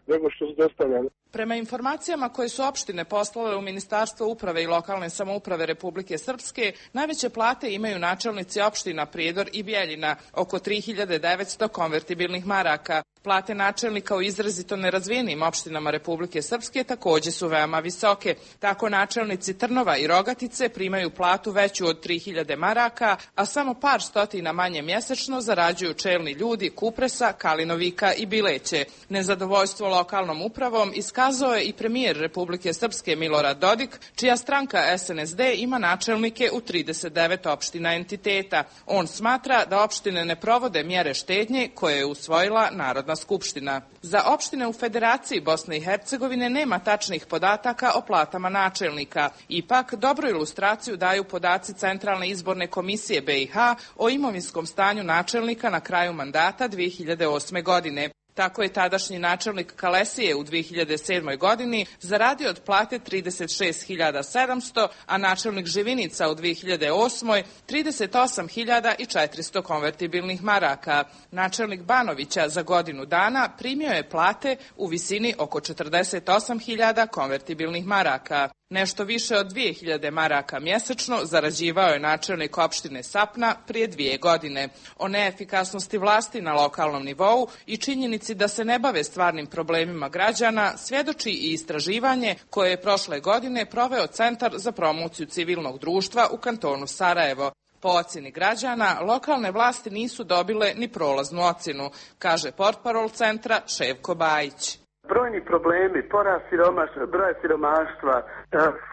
nego što su dostavljali. Prema informacijama koje su opštine poslale u Ministarstvo uprave i lokalne samouprave Republike Srpske, najveće plate imaju načelnici opština Prijedor i Bijeljina, oko 3.900 konvertibilnih maraka. Plate načelnika u izrazito nerazvijenim opštinama Republike Srpske također su veoma visoke. Tako načelnici Trnova i Rogatice primaju platu veću od 3.000 maraka, a samo par stotina manje mjesečno zarađuju čelni ljudi Kupresa, Kalinovika i Bileće. Nezadovoljstvo lokalnom upravom iskazao je i premijer Republike Srpske Milorad Dodik, čija stranka SNSD ima načelnike u 39 opština entiteta. On smatra da opštine ne provode mjere štednje koje je usvojila Narodna skupština. Za opštine u Federaciji Bosne i Hercegovine nema tačnih podataka o platama načelnika. Ipak, dobru ilustraciju daju podaci Centralne izborne komisije BiH o imovinskom stanju načelnika na kraju mandata 2008. godine. Tako je tadašnji načelnik Kalesije u 2007. godini zaradio od plate 36.700, a načelnik Živinica u 2008. 38.400 konvertibilnih maraka. Načelnik Banovića za godinu dana primio je plate u visini oko 48.000 konvertibilnih maraka. Nešto više od 2.000 maraka mjesečno zarađivao je načelnik opštine Sapna prije 2 godine. O neefikasnosti vlasti na lokalnom nivou i činjenici da se ne bave stvarnim problemima građana svjedoči i istraživanje koje je prošle godine proveo Centar za promociju civilnog društva u kantonu Sarajevo. Po ocjeni građana, lokalne vlasti nisu dobile ni prolaznu ocjenu, kaže portparol centra Ševko Bajić. Brojni problemi, porast broja siromaštva,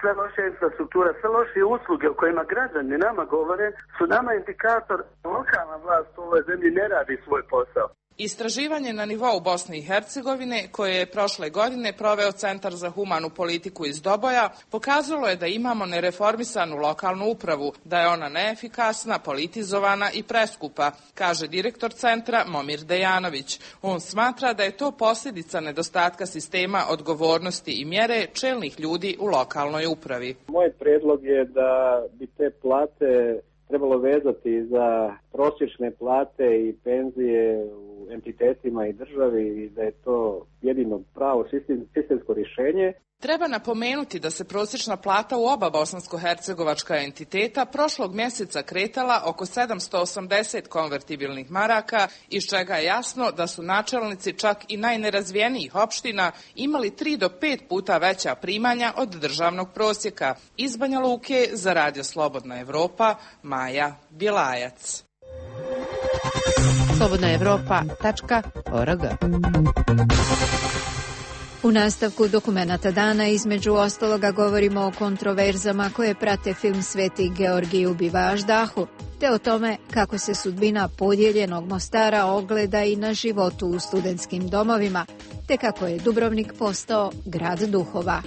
sve loše infrastruktura, sve loše usluge o kojima građani nama govore su nama indikator da lokalna vlast u ovoj zemlji ne radi svoj posao. Istraživanje na nivou Bosne i Hercegovine, koje je prošle godine proveo Centar za humanu politiku iz Doboja, pokazalo je da imamo nereformisanu lokalnu upravu, da je ona neefikasna, politizovana i preskupa, kaže direktor centra Momir Dejanović. On smatra da je to posljedica nedostatka sistema odgovornosti i mjere čelnih ljudi u lokalnoj upravi. Moj predlog je da bi te plate trebalo vezati za prosječne plate i penzije u entitetima i državi i da je to jedino pravo sistemsko rješenje. Treba napomenuti da se prosječna plata u oba bosansko-hercegovačka entiteta prošlog mjeseca kretala oko 780 konvertibilnih maraka, iz čega je jasno da su načelnici čak i najnerazvijenijih opština imali 3 do 5 puta veća primanja od državnog prosjeka. Iz Banja Luke za Radio Slobodna Evropa, Maja Bjelajac. slobodnaevropa.org. U nastavku dokumenata dana između ostaloga govorimo o kontroverzama koje prate film Sveti Georgij ubiva Aždahu, te o tome kako se sudbina podijeljenog Mostara ogleda i na životu u studentskim domovima, te kako je Dubrovnik postao grad duhova.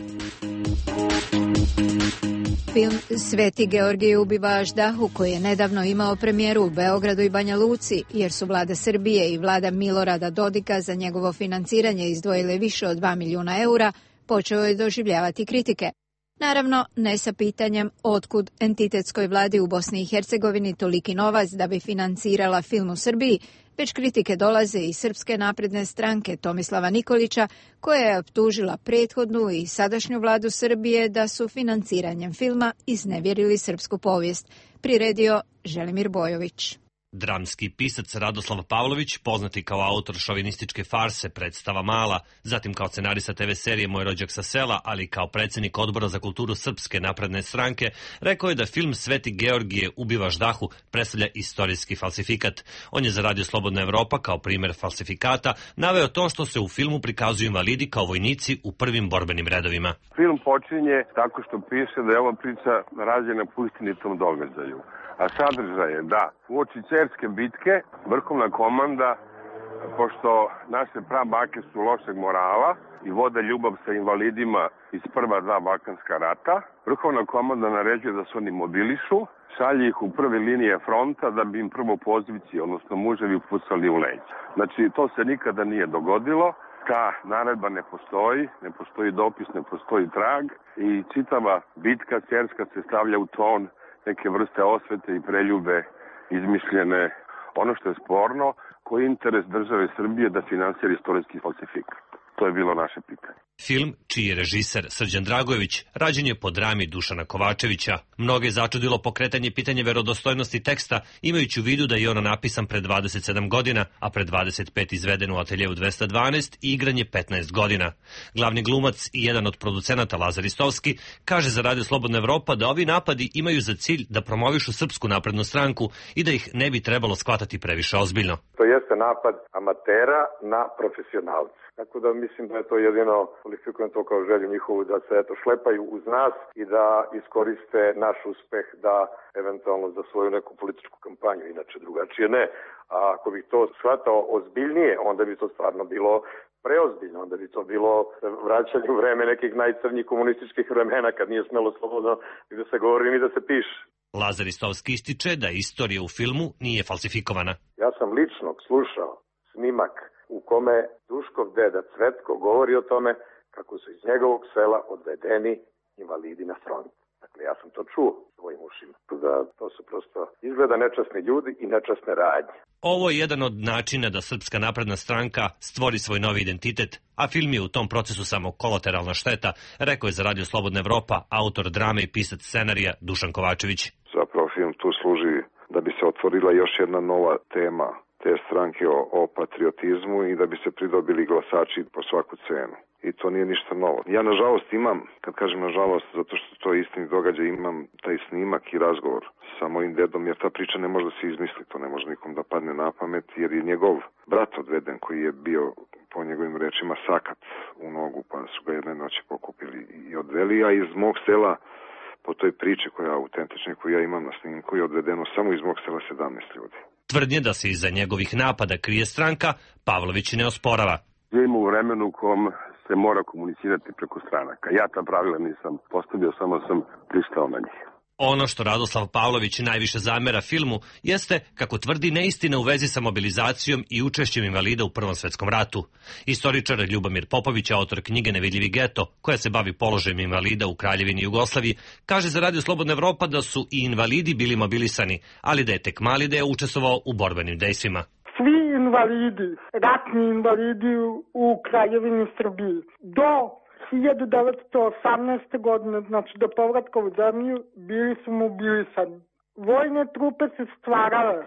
Film Sveti Georgij ubiva Aždahu, koji je nedavno imao premijeru u Beogradu i Banja Luci, jer su vlada Srbije i vlada Milorada Dodika za njegovo financiranje izdvojile više od 2 milijuna eura, počeo je doživljavati kritike. Naravno, ne sa pitanjem otkud entitetskoj vladi u Bosni i Hercegovini toliki novac da bi financirala film u Srbiji, već kritike dolaze iz Srpske napredne stranke Tomislava Nikolića, koja je optužila prethodnu i sadašnju vladu Srbije da su financiranjem filma iznevjerili srpsku povijest. Priredio Želimir Bojović. Dramski pisac Radoslav Pavlović, poznati kao autor šovinističke farse Predstava mala, zatim kao scenarista TV serije Moj rođak sa sela, ali kao predsjednik Odbora za kulturu Srpske napredne stranke, rekao je da film Sveti Georgije ubiva Aždahu predstavlja istorijski falsifikat. On je za Radio Slobodna Evropa kao primjer falsifikata naveo to što se u filmu prikazuju invalidi kao vojnici u prvim borbenim redovima. Film počinje tako što piše da je ova priča rađena po istinitom događaju. A sadržaj je da uoči Cerske bitke vrhovna komanda, pošto naše prabake su lošeg morala i vode ljubav sa invalidima iz prva 2 balkanska rata, vrhovna komanda naređuje da se oni mobilišu, šalje ih u prve linije fronta da bi im prvo pozivci, odnosno muževi, pucali u leđ. Znači, to se nikada nije dogodilo. Ta naredba ne postoji dopis, ne postoji trag i čitava bitka Cerska se stavlja u ton neke vrste osvete i preljube izmišljene. Ono što je sporno, koji je interes države Srbije da finansira istorijski falsifikat. To je bilo naše pitanje. Film, čiji je režiser Srđan Dragojević, rađen je po drami Dušana Kovačevića. Mnoge je začudilo pokretanje pitanja verodostojnosti teksta, imajući u vidu da je ono napisan pred 27 godina, a pred 25 izveden u ateljevu 212 i igran je 15 godina. Glavni glumac i jedan od producenata Lazar Istovski kaže za Radio Slobodna Evropa da ovi napadi imaju za cilj da promovišu Srpsku naprednu stranku i da ih ne bi trebalo shvatati previše ozbiljno. To jeste napad amatera na profesionalce. Tako da mislim da je to jedino, kvalifikujem to kao želju njihovu, da se šlepaju uz nas i da iskoriste naš uspeh da eventualno za svoju neku političku kampanju, inače drugačije ne. A ako bih to shvatao ozbiljnije, onda bi to stvarno bilo preozbiljno, onda bi to bilo vraćanje u vreme nekih najcrnjih komunističkih vremena kad nije smelo slobodno ni da se govori ni da se piše. Lazar Istovski ističe da istorija u filmu nije falsifikovana. Ja sam lično slušao snimak u kome Duškov deda Cvetko govori o tome kako su iz njegovog sela odvedeni invalidi na front. Dakle, ja sam to čuo svojim ušima. Da to su prosto izgleda nečasni ljudi i nečasne radnje. Ovo je jedan od načina da Srpska napredna stranka stvori svoj novi identitet, a film je u tom procesu samo kolateralna šteta, rekao je za Radio Slobodna Evropa autor drame i pisac scenarija Dušan Kovačević. Zapravo film tu služi da bi se otvorila još jedna nova tema te stranke o patriotizmu i da bi se pridobili glasači po svaku cenu. I to nije ništa novo. Ja nažalost imam, kad kažem nažalost, zato što to je istini događaj, imam taj snimak i razgovor sa mojim dedom, jer ta priča ne može da se izmisli, to ne može nikom da padne na pamet, jer je njegov brat odveden koji je bio, po njegovim rečima, sakat u nogu, pa su ga jedne noći pokupili i odveli, a iz mog sela, po toj priči koja je autentična, koju ja imam na snimku, je odvedeno samo iz mog sela 17 ljudi. Tvrdnje da se iza njegovih napada krije stranka, Pavlović ne osporava. Živimo u vremenu u kom se mora komunicirati preko stranaka. Ja ta pravila nisam postavio, samo sam pristao na njih. Ono što Radoslav Pavlović najviše zamera filmu jeste, kako tvrdi, neistina u vezi sa mobilizacijom i učešćem invalida u Prvom svetskom ratu. Istoričar Ljubomir Popović, autor knjige Nevidljivi geto, koja se bavi položajem invalida u Kraljevini Jugoslaviji, kaže za Radio Slobodna Evropa da su i invalidi bili mobilisani, ali da je tek mali deo učestvovao u borbenim dejstvima. svi invalidi, ratni invalidi u Kraljevini Srbiji. Do 1918. godine, znači do povratka u zemlju, bili su mobilisani. Vojne trupe se stvarale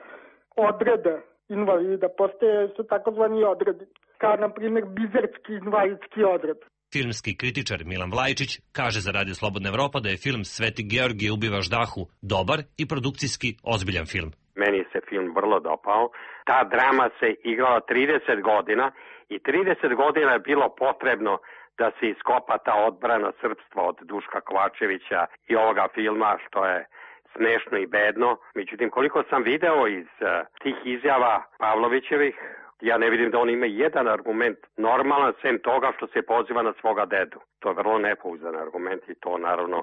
odrede invalida, postoje su takozvani odredi, kao na primjer bizerski invalidski odred. Filmski kritičar Milan Vlajčić kaže za Radio Slobodna Evropa da je film Sveti Georgije ubivaš dahu dobar i produkcijski ozbiljan film. Meni se film vrlo dopao. Ta drama se igrala 30 godina i 30 godina je bilo potrebno da se iskopa ta odbrana srpstva od Duška Kovačevića i ovoga filma, što je smešno i bedno. Međutim, koliko sam video iz tih izjava Pavlovićevih, ja ne vidim da on ima jedan argument normalan, sem toga što se poziva na svoga dedu. To je vrlo nepouzdan argument i to naravno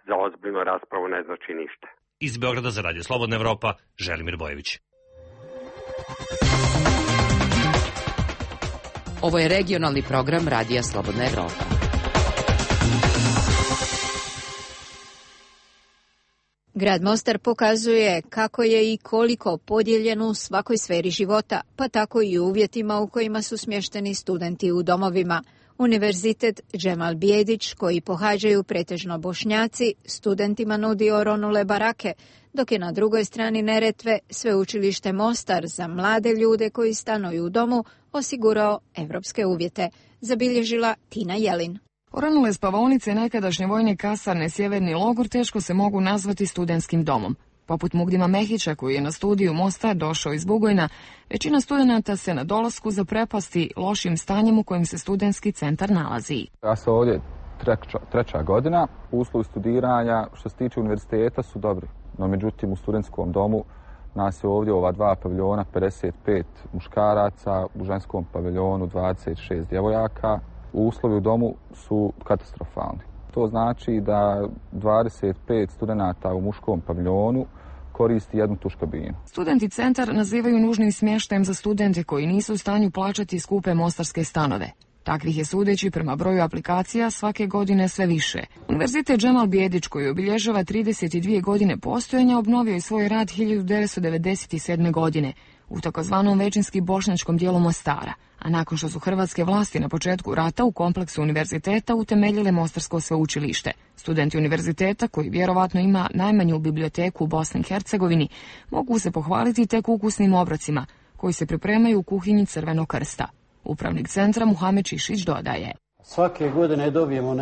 za ozbiljnu raspravu ne znači ništa. Iz Beograda za Radio Slobodna Evropa, Želimir Bojević. Ovo je regionalni program Radija Slobodna Evropa. Grad Mostar pokazuje kako je i koliko podijeljen u svakoj sferi života, pa tako i u uvjetima u kojima su smješteni studenti u domovima. Univerzitet Džemal Bijedić, koji pohađaju pretežno Bošnjaci, studentima nudi oronule barake, dok je na drugoj strani Neretve sveučilište Mostar za mlade ljude koji stanuju u domu osigurao evropske uvjete, zabilježila Tina Jelin. Oronule spavaonice nekadašnje vojne kasarne Sjeverni logor teško se mogu nazvati studentskim domom. Poput Mugdima Mehića, koji je na studiju Mostar došao iz Bugojna, većina studenata se na dolasku zaprepasti lošim stanjem u kojem se studentski centar nalazi. Ja sam ovdje treća godina, uslovi studiranja što se tiče univerziteta su dobri, no međutim u studentskom domu nas je ovdje ova dva paviljona 55 muškaraca, u ženskom paviljonu 26 djevojaka. Uslovi u domu su katastrofalni. To znači da 25 studenata u muškom paviljonu koristi jednu tuš kabinu. Studenti centar nazivaju nužnim smještajem za studente koji nisu u stanju plaćati skupe mostarske stanove. Takvih je, sudeći prema broju aplikacija, svake godine sve više. Univerzitet Džemal Bijedić, koji obilježava 32 godine postojanja, obnovio je svoj rad 1997. godine u takozvanom većinski bošnjačkom dijelu Mostara, a nakon što su hrvatske vlasti na početku rata u kompleksu univerziteta utemeljile Mostarsko sveučilište. Studenti univerziteta, koji vjerovatno ima najmanju biblioteku u Bosni i Hercegovini, mogu se pohvaliti tek ukusnim obrocima koji se pripremaju u kuhinji Crvenog krsta. Upravnik centra Muhamed Čišić dodaje: svake godine dobijemo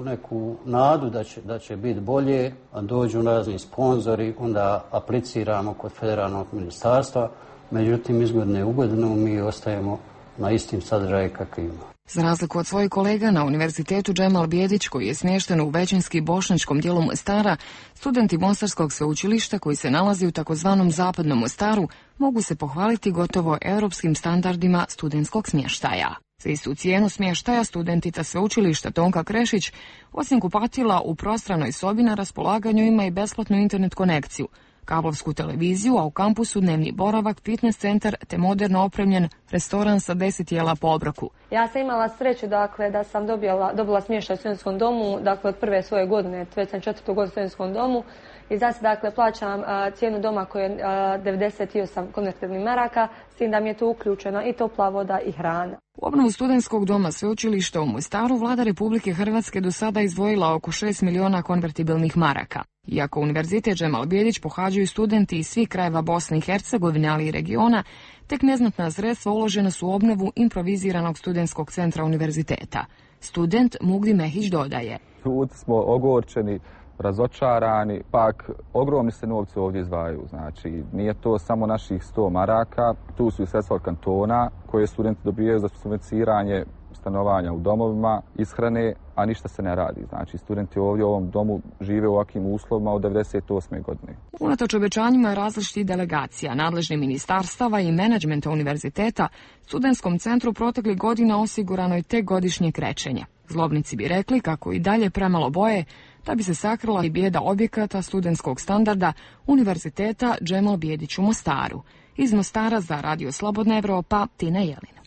neku nadu da će biti bolje, a dođu razni sponzori, onda apliciramo kod federalnog ministarstva, međutim iz godine u godinu mi ostajemo na istim sadržaju kakvima. Za razliku od svojih kolega na Univerzitetu Džemal Bijedić, koji je smješten u većinski bošnjačkom dijelu Mostara, studenti Mostarskog sveučilišta koji se nalazi u takozvanom zapadnom Mostaru mogu se pohvaliti gotovo europskim standardima studentskog smještaja. Za istu cijenu smještaja studentica sveučilišta Tonka Krešić, osim kupatila u prostranoj sobi, na raspolaganju ima i besplatnu internet konekciju, kablovsku televiziju, a u kampusu dnevni boravak, fitness centar te moderno opremljen restoran sa 10 jela po obroku. Ja sam imala sreću da sam dobila smještaj u studentskom domu, od prve svoje godine, već sam 4. godinu u studentskom domu i sad plaćam cijenu doma koja je 98 konvertibilnih maraka, s tim da mi je to uključeno i topla voda i hrana. U obnovu studentskog doma sveučilišta u Mostaru vlada Republike Hrvatske do sada izdvojila oko 6 miliona konvertibilnih maraka. Iako Univerzitet Džemal Bijedić pohađaju studenti iz svih krajeva Bosne i Hercegovine, ali i regiona, tek neznatna sredstva uložena su u obnovu improviziranog studentskog centra univerziteta. Student Mugdi Mehić dodaje: Ljudi smo ogorčeni, razočarani, pak ogromni se novci ovdje izdvajaju. Znači, nije to samo naših 100 maraka, tu su i sredstva od kantona koje studenti dobijaju za subvencioniranje stanovanja u domovima, ishrane, a ništa se ne radi. Znači, studenti ovdje u ovom domu žive u ovakvim uslovima od 1998. godine. Unatoč obećanjima različitih delegacija, nadležnih ministarstava i menadžmenta univerziteta, studentskom centru proteklih godina osigurano je tek godišnje krećenje. Zlobnici bi rekli kako i dalje premalo boje da bi se sakrila i bijeda objekata studentskog standarda Univerziteta Džemal Bijedić u Mostaru. Iz Mostara za Radio Slobodna Evropa, Tina Jelin.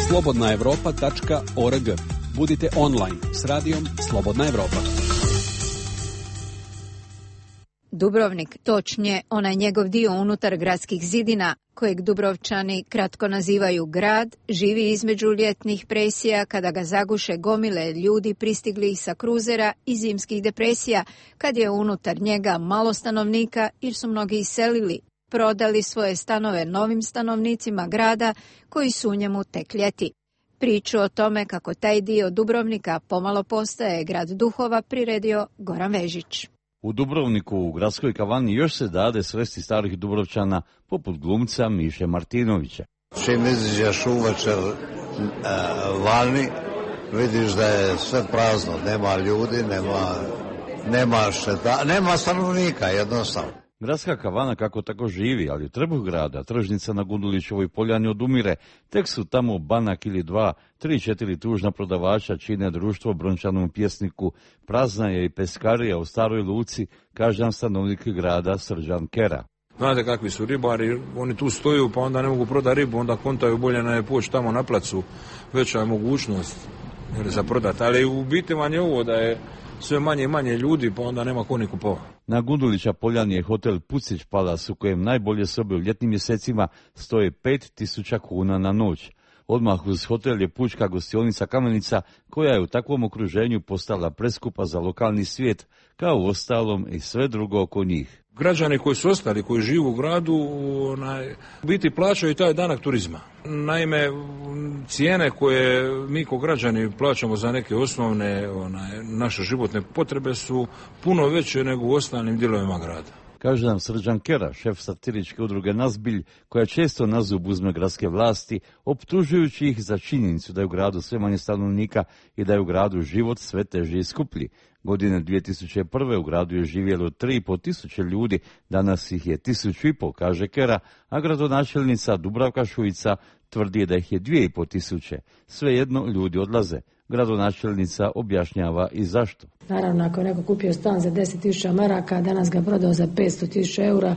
slobodnaevropa.org. Budite online s radijom Slobodna Evropa. Dubrovnik, točnije onaj njegov dio unutar gradskih zidina, kojeg Dubrovčani kratko nazivaju grad, živi između ljetnih presija kada ga zaguše gomile ljudi pristigli sa kruzera i zimskih depresija, kad je unutar njega malo stanovnika jer su mnogi iselili, prodali svoje stanove novim stanovnicima grada koji su u njemu tek ljeti. Priču o tome kako taj dio Dubrovnika pomalo postaje grad duhova priredio Goran Vežić. U Dubrovniku u gradskoj kavani još se dade sresti starih Dubrovčana poput glumca Miše Martinovića. Čim iziđeš uvečer vani, vidiš da je sve prazno, nema ljudi, nema stanovnika jednostavno. Gradska kavana kako tako živi, ali u trbuh grada, tržnica na Gundulićevoj poljani odumire, tek su tamo banak ili dva, 3-4 tužna prodavača čine društvo brončanom pjesniku, prazna je i peskarija u Staroj Luci, kaže nam stanovnik grada Srđan Kera. Znate kakvi su ribari, oni tu stoju pa onda ne mogu prodati ribu, onda kontaju bolje na poći tamo na placu, veća je mogućnost za prodati, ali u biti vam je ovo da je sve manje i manje ljudi, pa onda nema ko ni kupovati. Na Gundulića poljani je hotel Pucić Palace u kojem najbolje sobe u ljetnim mjesecima stoje 5.000 kuna na noć. Odmah uz hotel je pučka gostionica Kamenica koja je u takvom okruženju postala preskupa za lokalni svijet, kao u ostalom i sve drugo oko njih. Građani koji su ostali, koji žive u gradu, u biti plaćaju taj danak turizma. Naime, cijene koje mi kao građani plaćamo za neke osnovne naše životne potrebe su puno veće nego u ostalim dijelovima grada. Kaže nam Srđan Kera, šef satiričke udruge Nazbilj, koja često na zub uzme gradske vlasti, optužujući ih za činjenicu da je u gradu sve manje stanovnika i da je u gradu život sve teži i skuplji. Godine 2001. u gradu je živjelo 3.500 ljudi, danas ih je 1.500, kaže Kera, a gradonačelnica Dubravka Šuica tvrdi da ih je 2.500. Svejedno ljudi odlaze. Gradonačelnica objašnjava i zašto. Naravno, ako je neko kupio stan za 10.000 maraka, a danas ga prodao za 500.000 eura,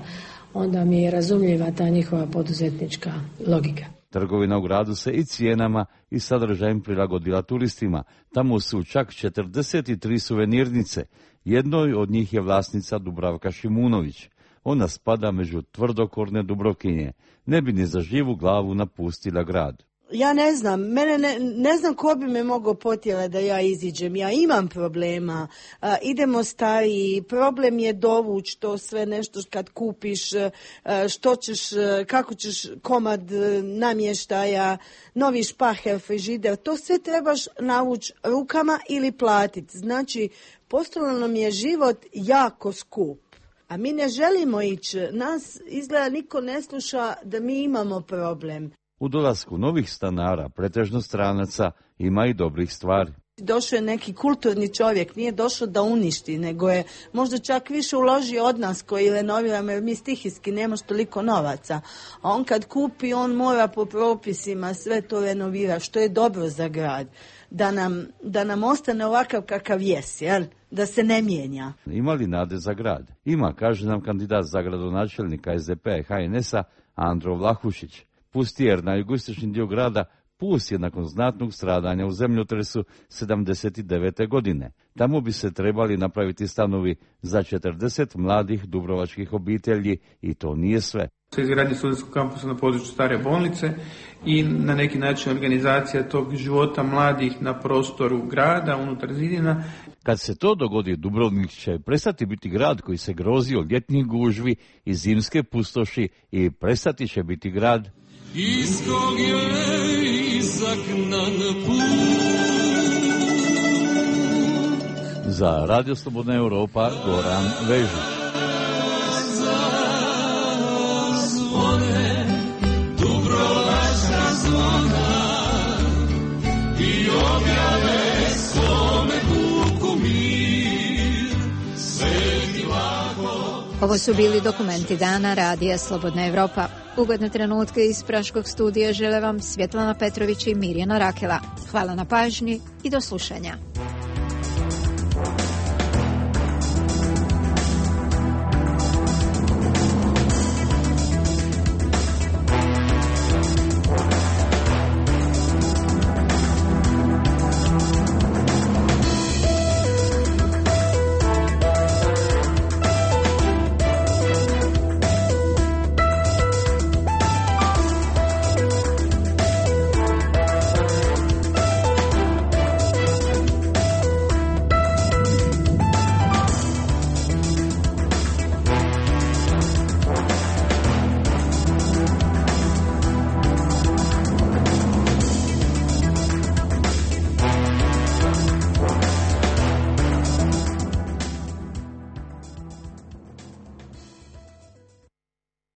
onda mi je razumljiva ta njihova poduzetnička logika. Trgovina u gradu se i cijenama i sadržajem prilagodila turistima. Tamo su čak 43 suvenirnice. Jednoj od njih je vlasnica Dubravka Šimunović. Ona spada među tvrdokorne Dubrovkinje. Ne bi ni za živu glavu napustila grad. Ja ne znam, ne znam ko bi me mogao potjerati da ja iziđem. Ja imam problema, idemo stariji, problem je dovući to sve nešto kad kupiš, što ćeš, kako ćeš komad namještaja, novi špaher, frižider, to sve trebaš navući rukama ili platiti. Znači, postalo nam je život jako skup. A mi ne želimo ići, nas izgleda niko ne sluša da mi imamo problem. U dolasku novih stanara, pretežno stranaca, ima i dobrih stvari. Došao je neki kulturni čovjek, nije došao da uništi, nego je možda čak više uložio od nas koji renoviramo, jer mi stihijski nemaš toliko novaca. A on kad kupi, on mora po propisima sve to renovira, što je dobro za grad. Da nam ostane ovakav kakav jest, jel? Da se ne mijenja. Ima li nade za grad? Ima, kaže nam kandidat za gradonačelnika SDP-a i HNS-a Andro Vlahušić. Pustijer na jugoistočni dio grada pust je nakon znatnog stradanja u zemljotresu 79. godine. Tamo bi se trebali napraviti stanovi za 40 mladih dubrovačkih obitelji i to nije sve. Izgradnje studentskog kampusa na području stare bolnice i na neki način organizacija tog života mladih na prostoru grada, unutar zidina. Kad se to dogodi, Dubrovnik će prestati biti grad koji se grozi od ljetnih gužvi i zimske pustoši i prestati će biti grad iz kog je izagnan put. Za Radio Slobodna Europa, Goran Vežić. Zvone, Dubrovačka zvona i objave svome duhu mir, sveti lako. Ovo su bili dokumenti dana Radija Slobodna Evropa. Ugodne trenutke iz Praškog studija žele vam Svjetlana Petrović i Mirjana Rakela. Hvala na pažnji i do slušanja.